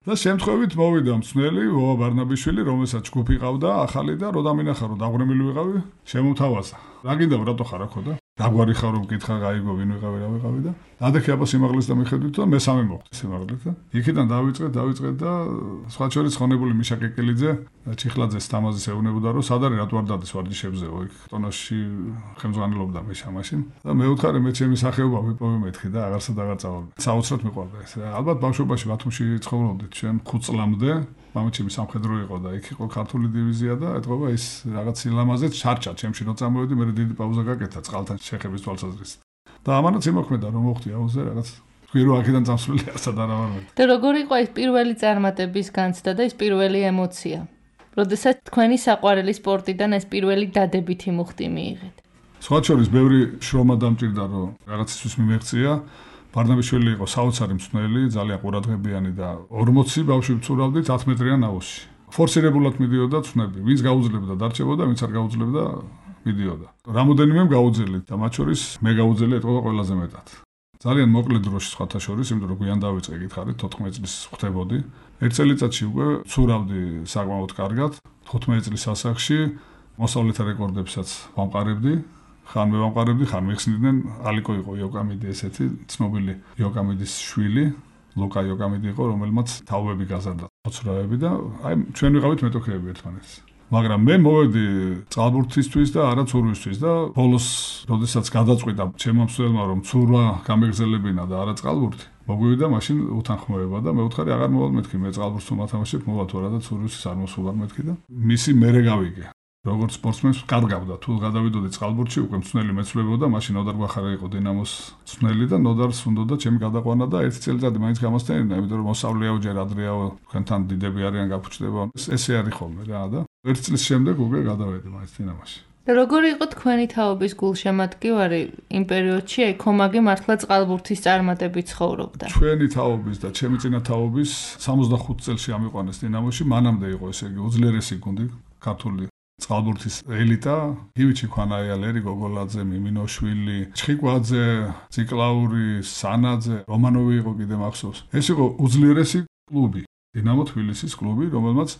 და შემთხვევით მოვიდა მწნელი ვოა ბარნაბიშვილი, რომელსაც ჯგუფი ყავდა ახალი და რო დამინახა რომ დაღვრემილი ვიყავი, შემოთავაზა. რა გინდა რატო ხარ აქო და დაგვარი ხარ რომ კითხა გაიგო ვინ ვიყავი რა ვიყავი და ადექი აბა სიმაღლეს და მიხედვით და მესამე მოხდა სიმაღლეთ და იქიდან დავიწყეთ და სხვა შორის ხონებული მიშა კეკელიძე ჩიხლაძეს თამაზის ეუბნებოდა რომ სად არის რატო არ დადეს ვარჯიშებზეო იქ ტონოში ხელმძღვანელობდა მიშა მაშინ და მე ვთხარი მე ჩემი სახეობა ვიპოვე მეთქი და აღარსად აღარ წავალ საოცრად მიყვარდა ეს ალბათ ბავშვობაში ბათუმში ცხოვრობდით ჩვენ 5 წლამდე მამაჩემი სამხედრო იყო და იქ იყო ქართული დივიზია და ეთყობა ის რაღაც სილამაზეც ჩარჩა ჩემში რო წამოვედი მე დიდი პაუზა გაკეთა წყალთან შეხების თვალსაზრისით და ამანაც იმოქმედა რომ მოხდი აუზე რაღაც თქვი რომ აქედან წამსვლელი ასად არ ვარ. და როგორ იყო ეს პირველი წარმატების განცდა და ეს პირველი ემოცია? როდესაც თქვენი საყვარელი სპორტიდან ეს პირველი დადებითი მუხტი მიიღეთ. სხვა შორის ბევრი შრომა დამჭირდა რომ რაღაცისთვის მიმეღწია. ბარნაბიშვილი იყო საოცარი მწვრთნელი, ძალიან ყურადღებიანი და 40 ბავშვი ვწურავდით 10 მეტრიან აუზში. ფორსირებულად მიდიოდა ცნობი, ვინც გაუძლებდა დარჩებოდა, ვინც არ გაუძლებდა მიდიოდა. რამოდენიმემ გაუძელით და მათ შორის მე გაუძელე ეთყობა ყველაზე მეტად. ძალიან მოკლე დროში სხვათა შორის, იმიტომ რომ გვიან დავიწყე გითხარით 14 წლის ხდებოდი. ერთ წელიწადში უკვე ვწურავდი საკმაოდ კარგად, 15 წლის ასაკში მოსავლეთა რეკორდებსაც ვამყარებდი. ხან მე ვამყარებდი, ხან მიხსნიდნენ, ალიკო იყო იოკამიდი ესეთი, ცნობილი იოკამიდის შვილი, ლუკა იოკამიდი იყო, რომელმაც თაობები გაზარდა, მოცურავები და აი ჩვენ ვიყავით მეტოქეები ერთმანეთს. მაგრამ მე მოვედი წყალბურთისთვის და არა ცურვისთვის და ბოლოს როდესაც გადაწყვიტა ჩემმა მსვლელმა რომ ცურვა გამეგრძელებინა და არა წყალბურთი მოგვივიდა მაშინ უთანხმოება და მე ვუთხარი აღარ მოვალ მეთქი მე წყალბურთს თუ მათამაშებ მოვა თუ არა და ცურვის არ მოსულა მეთქი და მისი მერე გავიგე როგორც სპორტსმენს კარგავდა თუ გადავიდოდი წყალბურთში უკვე მწვნელი მეცვლებოდა მაშინ ნოდარ გვახარა იყო დინამოს მწვნელი და ნოდარს უნდოდა ჩემი გადაყვანა და ერთი წელიწადი მაინც გამოსტენინა იმიტომ რომ მოსავლეაო ჯერ ადრეაო თქვენთან დიდები არიან გაფუჭდება ესე არის ხოლმე რა და ერთი წლის შემდეგ უკვე გადავედი მაინც დინამოში როგორი იყო თქვენი თაობის გულშემატკივარი იმ პერიოდში აი ქომაგი მართლა წყალბურთის წარმატებით ცხოვრობდა ჩვენი თაობის და ჩემი წინა თაობის 65 წელში ამიყვანეს დინამოში მანამდე იყო ესე იგი უძლიერესი გუნდი ქართული წყალბურთის ელიტა გივიჩი ქვანაია ლერი გოგოლაძე მიმინოშვილი ჩხიკვაძე ციკლაური სანაძე რომანოვი იყო კიდე მახსოვს ეს იყო უძლიერესი კლუბი დინამო თბილისის კლუბი რომელმაც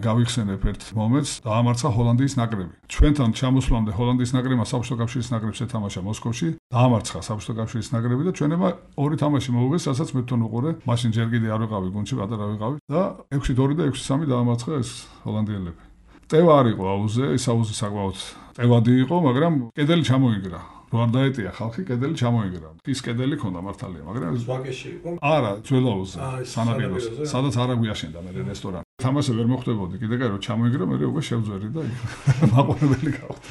გავიხსენებ ერთ მომენტს დაამარცხა ჰოლანდიის ნაკრები ჩვენთან ჩამოსვლამდე ჰოლანდიის ნაკრებმა საბჭოთა კავშირის ნაკრებს ეთამაშა მოსკოვში დაამარცხა საბჭოთა კავშირის ნაკრები და ჩვენება ორი თამაში მოუგეს რასაც მე თვითონ უყურე მაშინ ჯერ კიდე არ ვიყავი გუნდში პატარა ვიყავი და 6-2 და 6-3 დაამარცხა ეს ჰოლანდიელები ტევა არ იყო აუზე, ის აუზი საკმაოდ ტევადი იყო, მაგრამ კედელი ჩამოიგრა. რო არ დაეტია ხალხი, კედელი ჩამოიგრა. ის კედელი ქონდა მართალია, მაგრამ ზვაგეში იყო? არა, ძველაუზე, სანაპიროზე, სადაც არა გვიაშენდა მე რესტორანი. თამაში ვერ მოხვდებოდი, კიდე კაი რო ჩამოიგრა, მე უკვე შევძვერი და მაყურებელი გავხდი.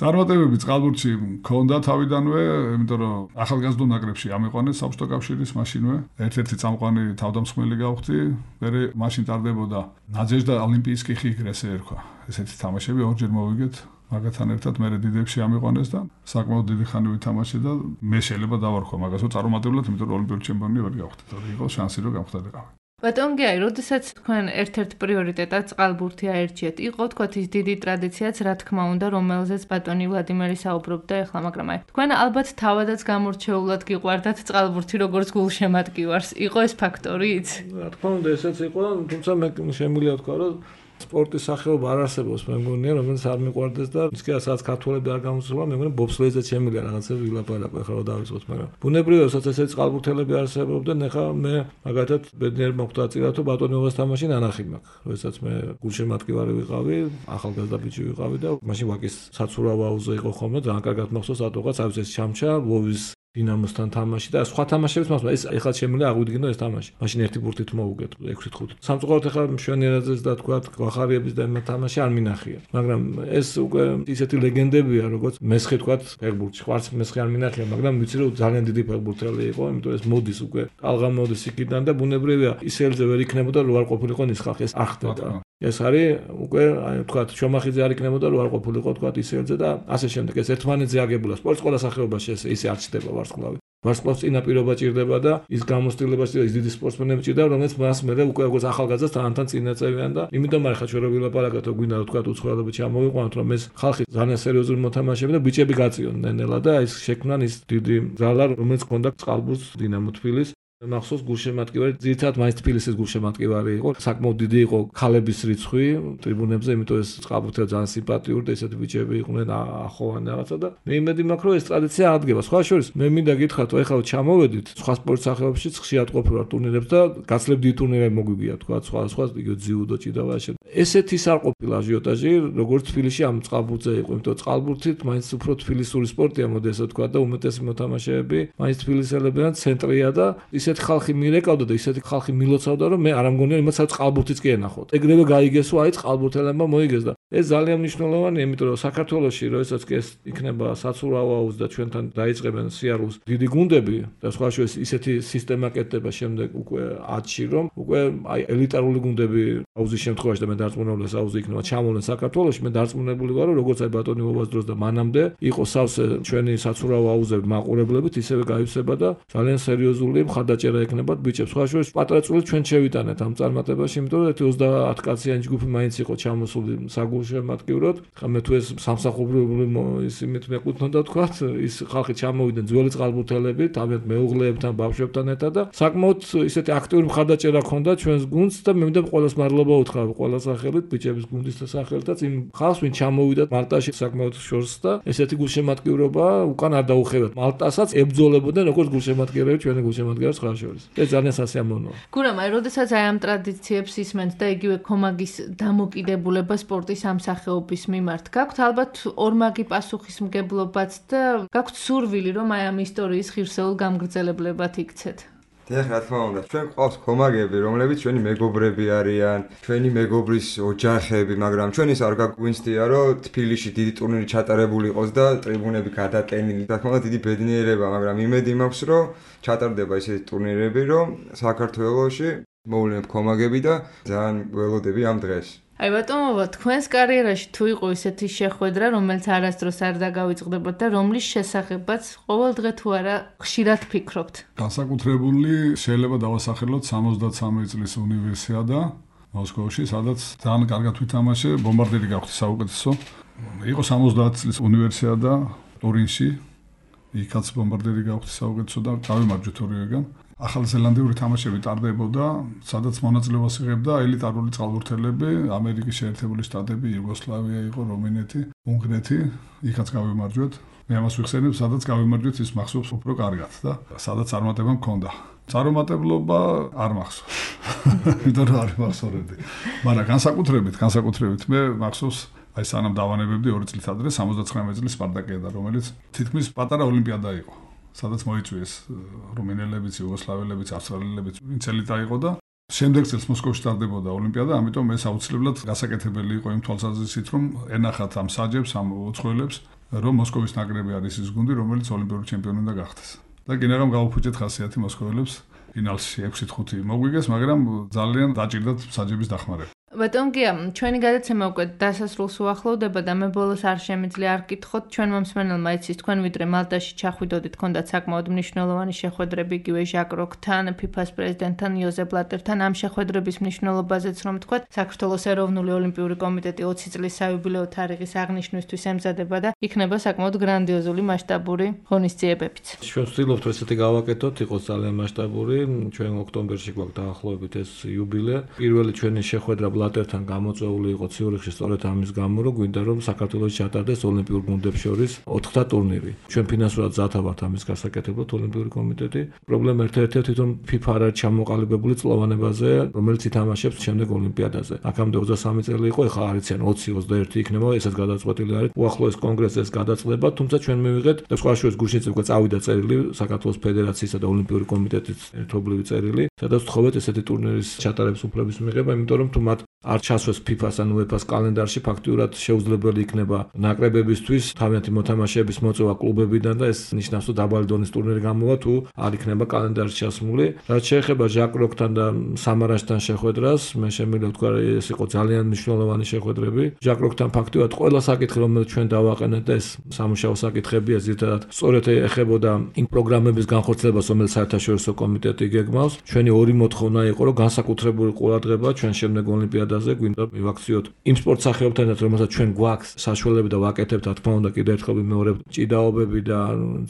წარმატებები წყალბურთში მქონდა თავიდანვე, იმიტომ რომ ახალგაზრდულ ნაკრებში ამიყვანეს საბჭოთა კავშირის მაშინვე. ერთ-ერთი წამყვანი თავდამსხმელი გავხდი, მე მაშინ ტარდებოდა ნაძეჟდა ოლიმპიისკი ხიგრესე ერქვა. ესეთი თამაშები ორჯერ მოვიგეთ. მაგათთან ერთად მე დიდებში ამიყვანეს და საკმაოდ დიდი ხანი ვითამაშე და მე შეიძლება დავარქვა მაგასო წარუმატებლად, იმიტომ რომ ოლიმპიური ჩემპიონი ვერ გავხდი. და იყო შანსი რომ გავხდარიყავი. ბატონ გიაი, როდესაც თქვენ ერთ-ერთ პრიორიტეტად წყალბურთი აერჩიეთ, იყო თქვათ ის დიდი ტრადიციაც, რა თქმა უნდა, რომელზეც ბატონი ვლადიმერი საუბრობდა ახლა, მაგრამ აი თქვენ ალბათ თავადაც გამორჩეულად გიყვარდათ წყალბურთი როგორც გულშემატკივარს. იყო ეს ფაქტორიც? რა თქმა უნდა, ესეც იყო, თუმცა მე შემიძლია ვთქვა, რომ სპორტის სახეობა არ არსებობს, მე მგონია, რომელიც არ მიყვარდეს და ისე სადაც ქართველები არ გამოსულა, მე მგონია ბობსლეიზე შემიძლია რაღაცები ვილაპარაკო, ახლა რა დავიწყოთ, მაგრამ ბუნებრივია, როდესაც ესეთი წყალბურთელები არსებობდნენ, ახლა მე მაგათაც ბედნიერ მოხდა წილად, რომ ბატონობას თამაში ნანახი მაქვს. როდესაც მე გულშემატკივარი ვიყავი, ახალგაზრდა ბიჭი ვიყავი და მაშინ ვაკის საცურავ აუზე იყო ხოლმე, ძალიან კარგად მახსოვს, რატოღაც არის ეს ჩამჩა, ლოვის დინამოსთან თამაში და სხვა თამაშებიც მაგრამ ეს ეხლა შემიძლია აღვიდგინო ეს თამაში. მაშინ ერთი ბურთით მოვუგეთ 6-5. სამწუხაროდ ეხლა მშვენიერაძეს და თქვა გვახარიების და ამ თამაში არ მინახია. მაგრამ ეს უკვე ისეთი ლეგენდებია, როგორც მესხი თქვა ფეხბურთში. ყვარც მესხი არ მინახია, მაგრამ ვიცი რომ ძალიან დიდი ფეხბურთელი იყო, იმიტომ ეს მოდის უკვე. ალღა მოდის იქიდან და ბუნებრივია ისელზე ვერ იქნებოდა რო არ ყოფილიყო ის ხალხი ეს ახდედა. ეს არის უკვე აი თქვა შომახიძე არ იქნებოდა რო არ ყოფილიყო თქვა ისელზე და ასე შემდეგ ეს ერთმანეთზე აგებულა. სპორტის ყველა სახეობაში ესე არ ჩდება ვარსკვლავი. ვარსკვლავს წინაპირობა ჭირდება და ის გამოცდილება ჭირდება, ის დიდი სპორტსმენები ჭირდება, რომელიც მას მერე უკვე როგორც ახალგაზრდას თანთან წინაწევიან და იმიტომ არ ხა ჩვენ რო ვილაპარაკოთ, რომ გვინდა თქვა უცხოელები ჩამოვიყვანოთ, რომ ეს ხალხი ძალიან სერიოზული მოთამაშეები და ბიჭები გაწიონ ნენელა და ის შექმნან ის დიდი ზალა, რომელიც ჰქონდა წყალბურთს დინამო თბილისს. მახსოვს გულშემატკივარი, ძირითადად მაინც თბილისის გულშემატკივარი იყო. საკმაოდ დიდი იყო ქალების რიცხვი ტრიბუნებზე, იმიტომ ეს წყალბურთელი ძალიან სიმპათიური და ესეთი ბიჭები იყვნენ ახოვანი რაღაცა და მე იმედი მაქვს, რომ ეს ტრადიცია აღდგება. სხვა შორის მე მინდა გითხრათ, რომ ეხლა ჩამოვედით სხვა სპორტ სახეობებშიც ხშირად ყოფილვარ ტურნირებს და გაცლებდი ტურნირები მოგვიგია თქვა სხვა იგივე ძიუდო ჭიდავა ასე. ესეთი არ ყოფილა აჟიოტაჟი, როგორც თბილისში ამ წყალბურთზე იყო, იმიტომ წყალბურთით მაინც უფრო თბილისური სპორტია, მოდი ესე თქვა და უმეტესი მოთამაშეები მაინც თბილისელებიდან ცენტრია და ისეთი ხალხი მირეკავდა და ისეთი ხალხი მილოცავდა, რომ მე არ ამგონია იმასაც წყალბურთიც კი ენახოთ. ეგრევე გაიგესო, აი წყალბურთელებმა მოიგეს და ეს ძალიან მნიშვნელოვანია, იმიტომ რომ საქართველოში როდესაც კი ეს იქნება საცურავ აუზს და ჩვენთან დაიწყებენ სიარულს დიდი გუნდები და სხვა შორის ისეთი სისტემა კეთდება შემდეგ უკვე 10-ში, რომ უკვე აი ელიტარული გუნდები აუზის შემთხვევაში და მე დარწმუნებული აუზი იქნება ჩამოვლენ საქართველოში, მე დარწმუნებული ვარ, რომ როგორც აი ბატონი ბობას დროს და მანამდე იყო სავსე ჩვენი საცურავ აუზები მაყურებლებით ისევე გაივსება და ძალიან სერიოზული მხარდაჭერა ექნებათ ბიჭებს. სხვა შორის პატარა წვლილი ჩვენ შევიტანეთ ამ წარმატებაში, იმიტომ რომ 30 კაციანი ჯგუფი მაინც იყო ჩამოსული საგულშემატკივრად. ხა მე თუ ეს სამსახურებრივი ისიმით მეკუთვნოდა თქვათ, ის ხალხი ჩამოვიდნენ ძველი წყალბურთელები, თავად მეუღლეებთან, ბავშვებთან ერთად და საკმაოდ ისეთი აქტიური მხარდაჭერა ჰქონდა ჩვენს გუნდს და მე მინდა ყველას მადლობა უთხრა ყველა სახელით, ბიჭების გუნდის სახელითაც იმ ხალხს, ვინ ჩამოვიდა მალტაში საკმაოდ შორს და ესეთი გულშემატკივრობა უკან არ დაუხევათ. მალტასაც ებრძოლებოდნენ როგორც გულშემატკივრები, ჩვენი გულშემატკივრებს 9 კავშირის. ეს ძალიან სასიამოვნოა. გურამ, აი, როდესაც აი ამ ტრადიციებს ისმენთ და იგივე ქომაგის დამოკიდებულება სპორტის ამ სახეობის მიმართ, გაქვთ ალბათ ორმაგი პასუხისმგებლობაც და გაქვთ სურვილი, რომ აი ამ ისტორიის ღირსეულ გამგრძელებლებად იქცეთ. დიახ, რა თქმა უნდა, ჩვენ ყავს ქომაგები, რომლებიც ჩვენი მეგობრები არიან, ჩვენი მეგობრის ოჯახები, მაგრამ ჩვენ ის არ გაგვინცდია, რომ თბილისში დიდი ტურნირი ჩატარებული იყოს და ტრიბუნები გადატენილი. რა თქმა უნდა, დიდი ბედნიერება, მაგრამ იმედი მაქვს, რომ ჩატარდება ესეთი ტურნირები, რომ საქართველოში მოვლენებ ქომაგები და ძალიან ველოდები ამ დღეს. აი ბატონო, თქვენს კარიერაში თუ იყო ისეთი შეხვედრა, რომელიც არასდროს არ დაგავიწყდებოდა და რომლის შესახებაც ყოველ დღე თუ არა ხშირად ფიქრობთ? განსაკუთრებული შეიძლება დავასახელოთ 63 წლის უნივერსიადა მოსკოვში, სადაც ძალიან კარგად ვითამაშე, ბომბარდირი გავხდი საუკეთესო. იყო 70 წლის უნივერსიადა ტურინში, იქაც ბომბარდირი გავხდი საუკეთესო და გავიმარჯვეთ ორივეგან. ახალ ზელანდიური თამაშები ტარდებოდა, სადაც მონაწილეობას იღებდა ელიტარული წყალბურთელები, ამერიკის შეერთებული შტატები, იუგოსლავია იყო, რუმინეთი, უნგრეთი, იქაც გავიმარჯვეთ. მე ამას ვიხსენებ, სადაც გავიმარჯვეთ, ის მახსოვს უფრო კარგად და სადაც წარმატება მქონდა. წარუმატებლობა არ მახსოვს. იმიტომ რომ არ მახსოვრებდი. მაგრამ განსაკუთრებით მე მახსოვს აი სანამ დავანებებდი 2 წლით ადრე 79 წლის სპარტაკიადა, რომელიც თითქმის პატარა ოლიმპიადა იყო. სადაც მოიწვიეს რუმინელებიც, იუგოსლაველებიც, ავსტრალიელებიც, ვინც ელიტა იყო და შემდეგ წელს მოსკოვში ტარდებოდა ოლიმპიადა, ამიტომ ეს აუცილებლად გასაკეთებელი იყო იმ თვალსაზრისით, რომ ენახათ ამ საჯებს, ამ უცხოელებს, რომ მოსკოვის ნაკრები არის ის გუნდი, რომელიც ოლიმპიური ჩემპიონი უნდა გახდეს. და კინაღამ გავუფუჭეთ ხასიათი მოსკოველებს, ფინალში 6-5 მოგვიგეს, მაგრამ ძალიან დაჭირდათ საჯების დახმარება. ბატონ გია, ჩვენი გადაცემა უკვე დასასრულს უახლოვდება და მე ბოლოს არ შემიძლია არ გკითხოთ ჩვენმა მსმენელმა იცის თქვენ ვიდრე მალტაში ჩახვიდოდით, ჰქონდათ საკმაოდ მნიშვნელოვანი შეხვედრები იგივე ჟაკ როკთან, FIFA-ს პრეზიდენტთან, იოზეფ ბლატერთან. ამ შეხვედრების მნიშვნელობაზეც რომ თქვათ, საქართველოს ეროვნული ოლიმპიური კომიტეტი 20 წლის საიუბილეო თარიღის აღნიშვნისთვის ემზადება და იქნება საკმაოდ გრანდიოზული მასშტაბური ღონისძიებებიც. ჩვენ ვცდილობთ ესეთი გავაკეთოთ, იყოს ძალიან მასშტაბური. ჩვენ ოქტომბერში გვაქვს დაახლოებით ეს იუბილე. პირველი ჩვენი შეხვედრა ბლატერთან გამოწვეული იყო ციურიხში სწორედ ამის გამო, რომ გვინდა რომ საქართველოში ჩატარდეს ოლიმპიურ გუნდებს შორის 4-თა ტურნირი. ჩვენ ფინანსურად ზათა ვართ ამის გასაკეთებლად ოლიმპიური კომიტეტი. პრობლემა ერთ-ერთი თვითონ FIFA არ არის ჩამოყალიბებული წლოვანებაზე, რომელიც ითამაშებს შემდეგ ოლიმპიადაზე. აქამდე 23 წელი იყო, ეხლა არიციან 20-21 იქნება, ესაც გადაწყვეტილი არის. უახლოეს კონგრესზე ეს გადაწყვეტება, თუმცა ჩვენ მივიღეთ და სხვა შორის გუშინიც უკვე წავიდა წერილი საქართველოს ფედერაციისა და ოლიმპიური კომიტეტის ერთობლივი წერილი, სადაც ვთხოვეთ ესეთი ტურნირის ჩატარების უფლების მიღება, იმიტომ რომ თუ მათ არ ჩასვეს FIFA-ს ან UEFA-ს კალენდარში, ფაქტიურად შეუძლებელი იქნება ნაკრებებისთვის თავიანთი მოთამაშეების მოწვევა კლუბებიდან და ეს ნიშნავს, რომ დაბალი დონის ტურნირი გამოვა თუ არ იქნება კალენდარში ჩასმული. რაც შეეხება ჟაკ როკთან და სამარაშთან შეხვედრას, მე შემიძლია ვთქვა, ეს იყო ძალიან მნიშვნელოვანი შეხვედრები. ჟაკ როკთან ფაქტიურად ყველა საკითხი, რომელიც ჩვენ დავაყენეთ და ეს სამუშაო საკითხებია, ზირთადად სწორედ ეხებოდა იმ პროგრამების განხორციელებას, რომელიც საერთაშორისო კომიტეტი გეგმავს. ჩვენი ორი მოთხოვნა იყო, რომ განსაკუთრებული ყურადღება ჩვენ შემდეგ ოლიმპიადაზე გვინდა მივაქციოთ იმ სპორტ სახეობთანაც, რომელსაც ჩვენ გვაქვს საშუალებები და ვაკეთებთ, რა თქმა უნდა, კიდევ ერთხელ ვიმეორებ, ჭიდაობები და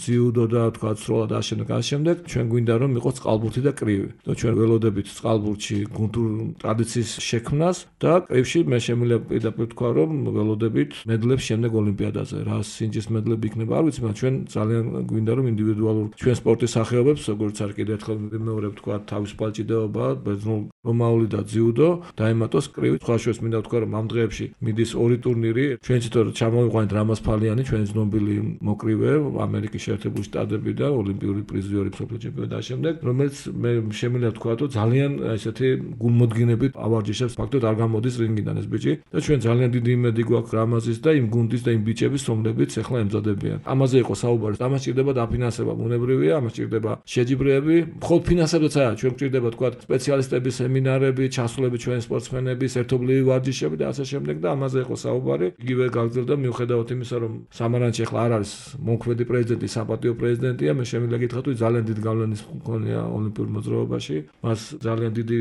ძიუდო და თქვა სროლა და ამავდროულად ჩვენ გვინდა რომ იყოს წყალბურთი და კრივი. და ჩვენ ველოდებით წყალბურთში გუნდურ ტრადიციის შექმნას და კრივში მე შემიძლია პირდაპირ თქვა, რომ ველოდებით მედლებს შემდეგ ოლიმპიადაზე. რა სინჯის მედლები იქნება, არ ვიცი, მაგრამ ჩვენ ძალიან გვინდა რომ ინდივიდუალურ ჩვენ სპორტის სახეობებს, როგორც არ კიდევ ერთხელ ვიმეორებ, თქვა თავისუფალი ჭიდაობა, ბერძნულ რომაული და ძიუდო დაემატოს კრივი. სხვა შორის მინდა ვთქვა, რომ ამ დღეებში მიდის ორი ტურნირი. ჩვენ თვითონ ჩამოვიყვანეთ რამაზ ფალიანი, ჩვენი ცნობილი მოკრივე, ამერიკის შეერთებული შტატები და ოლიმპიური პრიზიორი მსოფლიო ჩემპიონი და შემდეგ, რომელიც მე შემიძლია ვთქვა, რომ ძალიან ესეთი გულმოდგინებით ავარჯიშებს, ფაქტობრივად არ გამოდის რინგიდან ეს ბიჭი და ჩვენ ძალიან დიდი იმედი გვაქვს რამაზის და იმ გუნდის და იმ ბიჭების, რომლებიც ახლა ემზადებიან. ამაზე იყო საუბარი. ამას ჭირდება დაფინანსება, ბუნებრივია, ამას ჭირდება შეჯიბრეები. მხოლოდ ფინანსებიც არა, ჩვენ გვჭირდება თქვა სპეციალისტების სემინარები, ჩასულები ჩვენი სპორტსმენების, ერთობლივი ვარჯიშები და ასე შემდეგ და ამაზე იყო საუბარი. იგივე გაგრძელდა მიუხედავად იმისა, რომ სამარანში ახლა არ არის მომქმედი პრეზიდენტი, საპატიო პრეზიდენტია, მე შემიძლია გითხრათ, რომ ძალიან დიდი გავლენის მქონეა ოლიმპიურ მოძრაობაში. მას ძალიან დიდი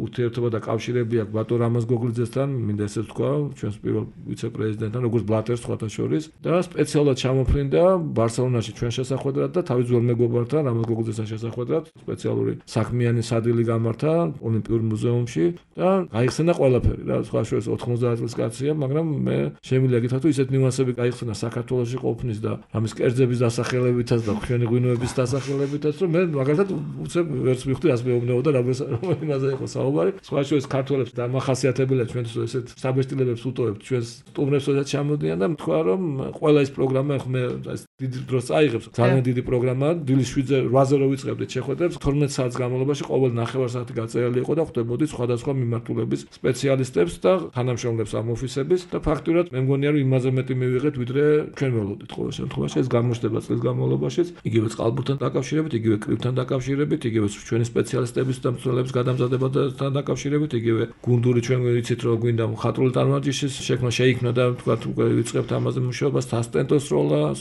ურთიერთობა და კავშირები აქვს ბატონ რამაზ გოგლიძესთან, მინდა ესეც ვთქვა, ჩვენს პირველ ვიცე-პრეზიდენტთან, როგორც ბლატერს სხვათა შორის და სპეციალურად ჩამოფრინდა ბარსელონაში ჩვენ შესახვედრად და თავის ძველ მეგობართან, რამაზ გოგლიძესთან შესახვედრად სპეციალური საქმიანი სადილი გამართა ოლიმპიურ მუზეუმში და გაიხსენა ყველაფერი რა, სხვა შორის 90 წლის კაცია, მაგრამ მე შემიძლია გითხრათ, თუ ისეთ ნიუანსები გაიხსნა საქართველოში ყოფნის და ამის კერძების დასახელებითაც და ჩვენი ღვინოების დასახელებითაც, რომ მე მაგალითად უცებ ვერც მივხვდი რას მეუბნებოდა და იმაზე იყო საუბარი. სხვა შორის ქართველებს დამახასიათებელია ჩვენთვის ესეთ საბეჭდილებებს უტოვებთ ჩვენს სტუმრებს როდესაც ჩამოდიან და თქვა რომ ყველა ეს პროგრამა მე დიდ დროს წაიღებს. ძალიან დიდი პროგრამაა. დილის 7-ზე 8-ზე რო ვიწყებდით შეხვედრებს 12 საათის განმავლობაში ყოველ ნახევარ-საათი გაწერილი იყო და ხვდებოდი სხვადასხვა მიმართულების სპეციალისტებს და თანამშრომლებს ამ ოფისების და ფაქტურად მე მგონია რომ იმაზე მეტი მივიღეთ ვიდრე ჩვენ ველოდით ყოველ შემთხვევაში ეს გამოჩნდება წლის განმავლობაში იგივე წყალბურთთან დაკავშირებით, იგივე კრივთან დაკავშირებით, იგივე ჩვენი სპეციალისტების და მცველების გადამზადებასთან დაკავშირებით, იგივე გუნდური ჩვენ ვიცით რომ გვინდა მხატვრული წარმატების შექმნა შეიქმნა და თქვათ უკვე ვიწყებთ ამაზე მუშაობას, ასისტენტოს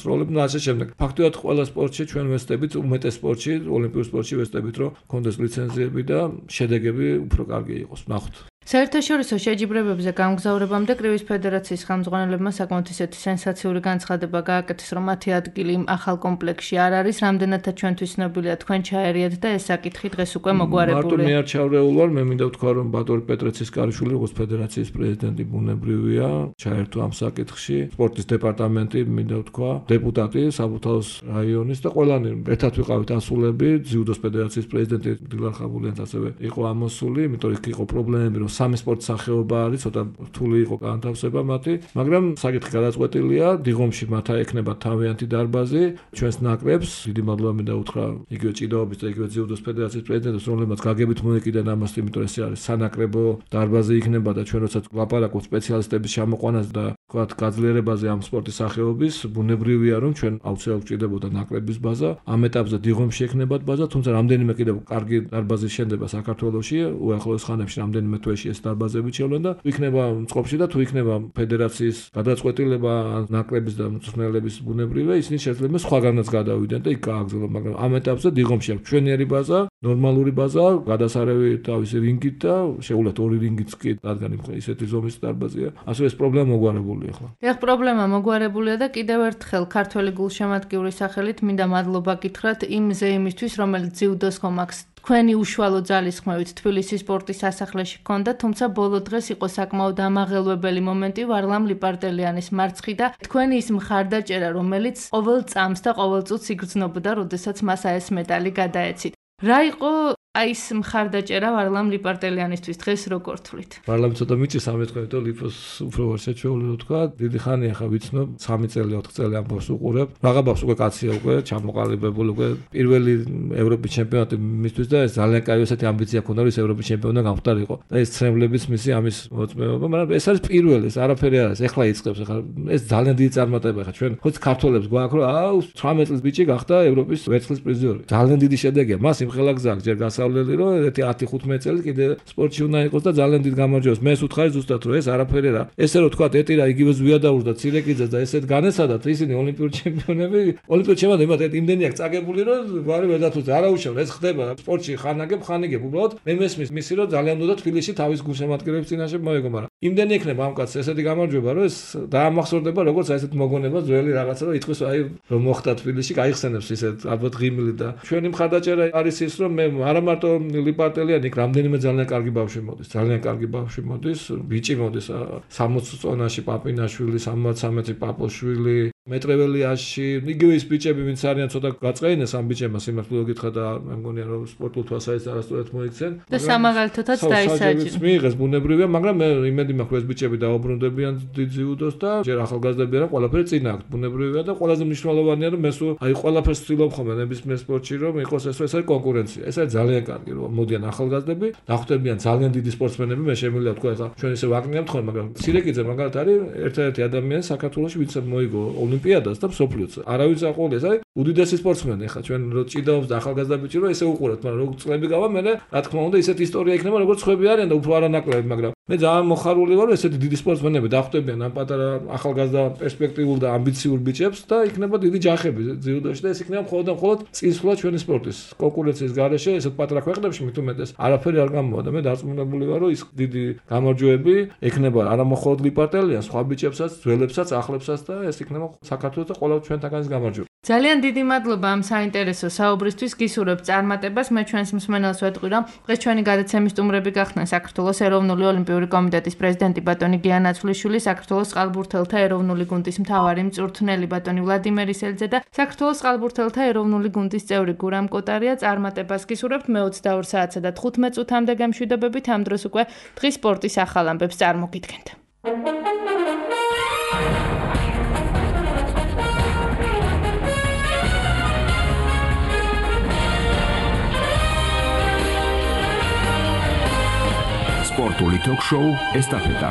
როლები და ასე შემდეგ. ფაქტობრივად ყველა სპორტში ჩვენ ვესწრებით, უმეტეს სპორტში, ოლიმპიურ სპორტში ვესწრებით, რომ კონდეს ლიცენზიები და შედეგები უფრო კარგი იყოს. ნახოთ. საერთაშორისო შეჯიბრებებზე გამგზავრებამდე კრივის ფედერაციის ხელმძღვანელებმა საკმაოდ ისეთი სენსაციური განცხადება გააკეთეს, რომ მათი ადგილი იმ ახალ კომპლექსში არ არის, რამდენადაც ჩვენთვის ცნობილია თქვენ ჩაერიათ და ეს საკითხი დღეს უკვე მოგვარებულია. მარტო მე არ ჩავრეულ ვარ, მე მინდა ვთქვა, რომ ბატონი პეტრეცის კარიშვილი, როგორც ფედერაციის პრეზიდენტი ბუნებრივია, ჩაერთო ამ საკითხში. სპორტის დეპარტამენტი მინდა ვთქვა, დეპუტატი საბურთალოს რაიონის და ყველანი ერთად ვიყავით ასულები, ძიუდოს ფედერაციის პრეზიდენტი დილარ ხაბულიანიც ასევე იყო ამოსული, იმიტომ იქ იყო პრობლემები, რომ სამი სპორტის სახეობა არის, ცოტა რთული იყო განთავსება მათი, მაგრამ საკითხი გადაწყვეტილია, დიღომში მათ ექნება თავიანთი დარბაზი, ჩვენს ნაკრებს, დიდი მადლობა მინდა უთხრა იგივე ჭიდაობის და იგივე ძიუდოს ფედერაციის პრეზიდენტს, რომლებმაც გაგებით მოეკიდა ამას, იმიტომ ეს არის სანაკრებო დარბაზი იქნება და ჩვენ როცა ვლაპარაკობთ სპეციალისტების ჩამოყვანას და თქვათ გაძლიერებაზე ამ სპორტის სახეობის, ბუნებრივია რომ ჩვენ აუცილებლად გვჭირდებოდა ნაკრების ბაზა, ამ ეტაპზე დიღომში ექნებათ ბაზა, თუმცა რამდენიმე კიდევ კარგი დარბაზის შენდება საქართველოში, უახლოეს ხანებში რამდენიმე თვეში ეს დარბაზები შევლენ და იქნება წყობში და თუ იქნება ფედერაციის გადაწყვეტილება ნაკრების და მწვრთნელების ბუნებრივია, ისინი შეიძლება სხვაგანაც გადავიდნენ და იქ გააგრძელონ, მაგრამ ამ ეტაპზე დიღომში აქვს ჩვენიერი ბაზა, ნორმალური ბაზა, გადასარევი თავისი რინგით და შეუძლია 2 რინგიც კი, რადგან ისეთი ზომის დარბაზია. ასე ეს პრობლემა მოგვარებულია ახლა. ეხლა პრობლემა მოგვარებულია და კიდევ ერთხელ ქართველი გულშემატკივრის სახელით მინდა მადლობა გითხრათ იმ ზეიმისთვის, რომელიც ძიუდოს.com აქვს თქვენი უშუალო ძალისხმევით თბილისის სპორტის სასახლეში ჰქონდა, თუმცა ბოლო დღეს იყო საკმაოდ ამაღელვებელი მომენტი ვარლამ ლიპარტელიანის მარცხი და თქვენი ის მხარდაჭერა, რომელიც ყოველ წამს და ყოველ წუთს იგრძნობოდა, როდესაც მას ეს მეტალი გადაეცით. რა იყო აი ეს მხარდაჭერა ვარლამ ლიპარტელიანისთვის დღეს როგორ თვლით? ვარლამ ცოტა მიჭის ამეთქვით, რომ ლიპოს უფრო ვარ შეჩეული თქვა, დიდი ხანია ხა ვიცნობ, 3 წელი 4 წელი ამ ბავშვს უყურებ. რაღა ბავშვს უკვე კაცია უკვე, ჩამოყალიბებული უკვე პირველი ევროპის ჩემპიონატი მისთვის და ეს ძალიან კაი ესეთი ამბიცია ქონდა, რომ ეს ევროპის ჩემპიონი გამختارიყო. და ეს ცრემლების მისი ამის მოწმეობა, მაგრამ ეს არის პირველი, ეს არაფერი არ არის. ეხლა იწყებს, ეხლა ეს ძალიან დიდი წარმატება ხა ჩვენ ხოც ქართველებს გვაქვს, რომ 18 წლის ბიჭი გახდა ევროპის ვერცხლის პრიზიორი. ძალიან დიდი შედეგია. მას იმხელა გზაა, ჯერ გასავლელი რომ 10-15 წელი კიდე სპორტში უნდა იყოს და ძალიან დიდ გამარჯვებას. მე ვუთხარი ზუსტად რომ ეს არაფერი რა. ესე რომ თქვა ეტირა იგივე ზვიადაურს და ცირეკიძეს და ესეთ განეცადათ ისინი ოლიმპიური ჩემპიონები, ოლიმპიური ჩემპიონები მათ იმდენი აქვს წაგებული რომ ვარი ვერ დათუცე. არა უშევ ეს ხდება სპორტში ხანაგებ ხანიგებ უბრალოდ მე მესმის მისი რომ ძალიან უნდა თბილისში თავის გულშემატკივრების წინაშე მოეგო, მაგრამ იმდენი ექნება ამ კაცს ესეთი გამარჯვება რომ ეს დაამახსოვრდება როგორც აი ესეთ მოგონება ძველი რაღაცა რომ იტყვის აი რომ მოხდა თბილისში გაიხსენებს ისეთ ალბათ ღიმილი და ჩვენი მხარდაჭერა არის ის რომ მე არა მარტო ლიპარტელიანი იქ რამდენიმე ძალიან კარგი ბავშვი მოდის, ძალიან კარგი ბავშვი მოდის, ბიჭი მოდის 60 წონაში პაპინაშვილი, 73 პაპოშვილი, მეტრეველიაში, იგივე ის ბიჭები ვინც არიან ცოტა გაწყეინეს ამ ბიჭებმა სიმართლე გითხრა და მე მგონია რომ სპორტულ თვალსაზრისით არასწორად მოიქცენ. და სამაღალითაც დაისაჯეს. მიიღეს ბუნებრივია, მაგრამ მე იმედი მაქვს რომ ეს ბიჭები დაუბრუნდებიან დიდ ძიუდოს და ჯერ ახალგაზრდები არა ყველაფერი წინა აქვს ბუნებრივია და ყველაზე მნიშვნელოვანია რომ მე სულ აი ყველაფერს ვცდილობ ხოლმე ნებისმიერ სპორტში რომ იყოს ეს არის კონკურენცია. ეს არის ძალიან კარგი რომ მოდიან ახალგაზრდები, დახვდებიან ძალიან დიდი სპორტსმენები, მე შემიძლია თქვა ეხლა ჩვენ ისე ვაკნიებთ ხოლმე, მაგრამ ცირეკიძე მაგალითად არის ერთ-ერთი ადამიანი საქართველოში, ვინც მოიგო ოლიმპიადას და მსოფლიოს. არავის აყოლია, ეს არის უდიდესი სპორტსმენი. ეხლა ჩვენ რო ჭიდაობს და ახალგაზრდა ბიჭი რო ესე უყურებთ, მაგრამ რო წლები გავა, მე რა თქმა უნდა ისეთი ისტორია იქნება, როგორც ხვები არიან და უფრო არანაკლები, მაგრამ მე ძალიან მოხარული ვარ, ესეთი დიდი სპორტსმენები დახვდებიან ამ პატარა ახალგაზრდა პერსპექტიულ და ამბიციურ ბიჭებს და იქნება დიდი ჯახები ძიუდოში და ეს იქნება მხოლოდ წინსვლა ჩვენი სპორტის კონკურენციის გარეშე, ესეთ პატარა ქვეყნებში მით უმეტეს არაფერი არ გამოვა და მე დარწმუნებული ვარ, რომ ის დიდი გამარჯვებები ექნება არა მხოლოდ ლიპარტელიანს, სხვა ბიჭებსაც, ძველებსაც, ახლებსაც და ეს იქნება საქართველოს და ყველა ჩვენთაგანის გამარჯვება. ძალიან დიდი მადლობა ამ საინტერესო საუბრისთვის. გისურვებთ წარმატებას. მე ჩვენს მსმენელს ვეთყვი, რომ დღეს ჩვენი გადაცემის სტუმრები გახდნენ საქართველოს ეროვნული ოლიმპიური კომიტეტის პრეზიდენტი ბატონი გია ნაცვლიშვილი, საქართველოს წყალბურთელთა ეროვნული გუნდის მთავარი მწვრთნელი ბატონი ვლადიმერ ისელიძე და საქართველოს წყალბურთელთა ეროვნული გუნდის წევრი გურამ კოტარია. წარმატებას გისურვებთ. მე 22 საათსა და 15 წუთამდე გამშვიდობებით. ამ დროს უკვე დღის სპორტის ახალ ამბებს წარმოგიდგენთ. სპორტული ток-შოუ ესტაფეტა.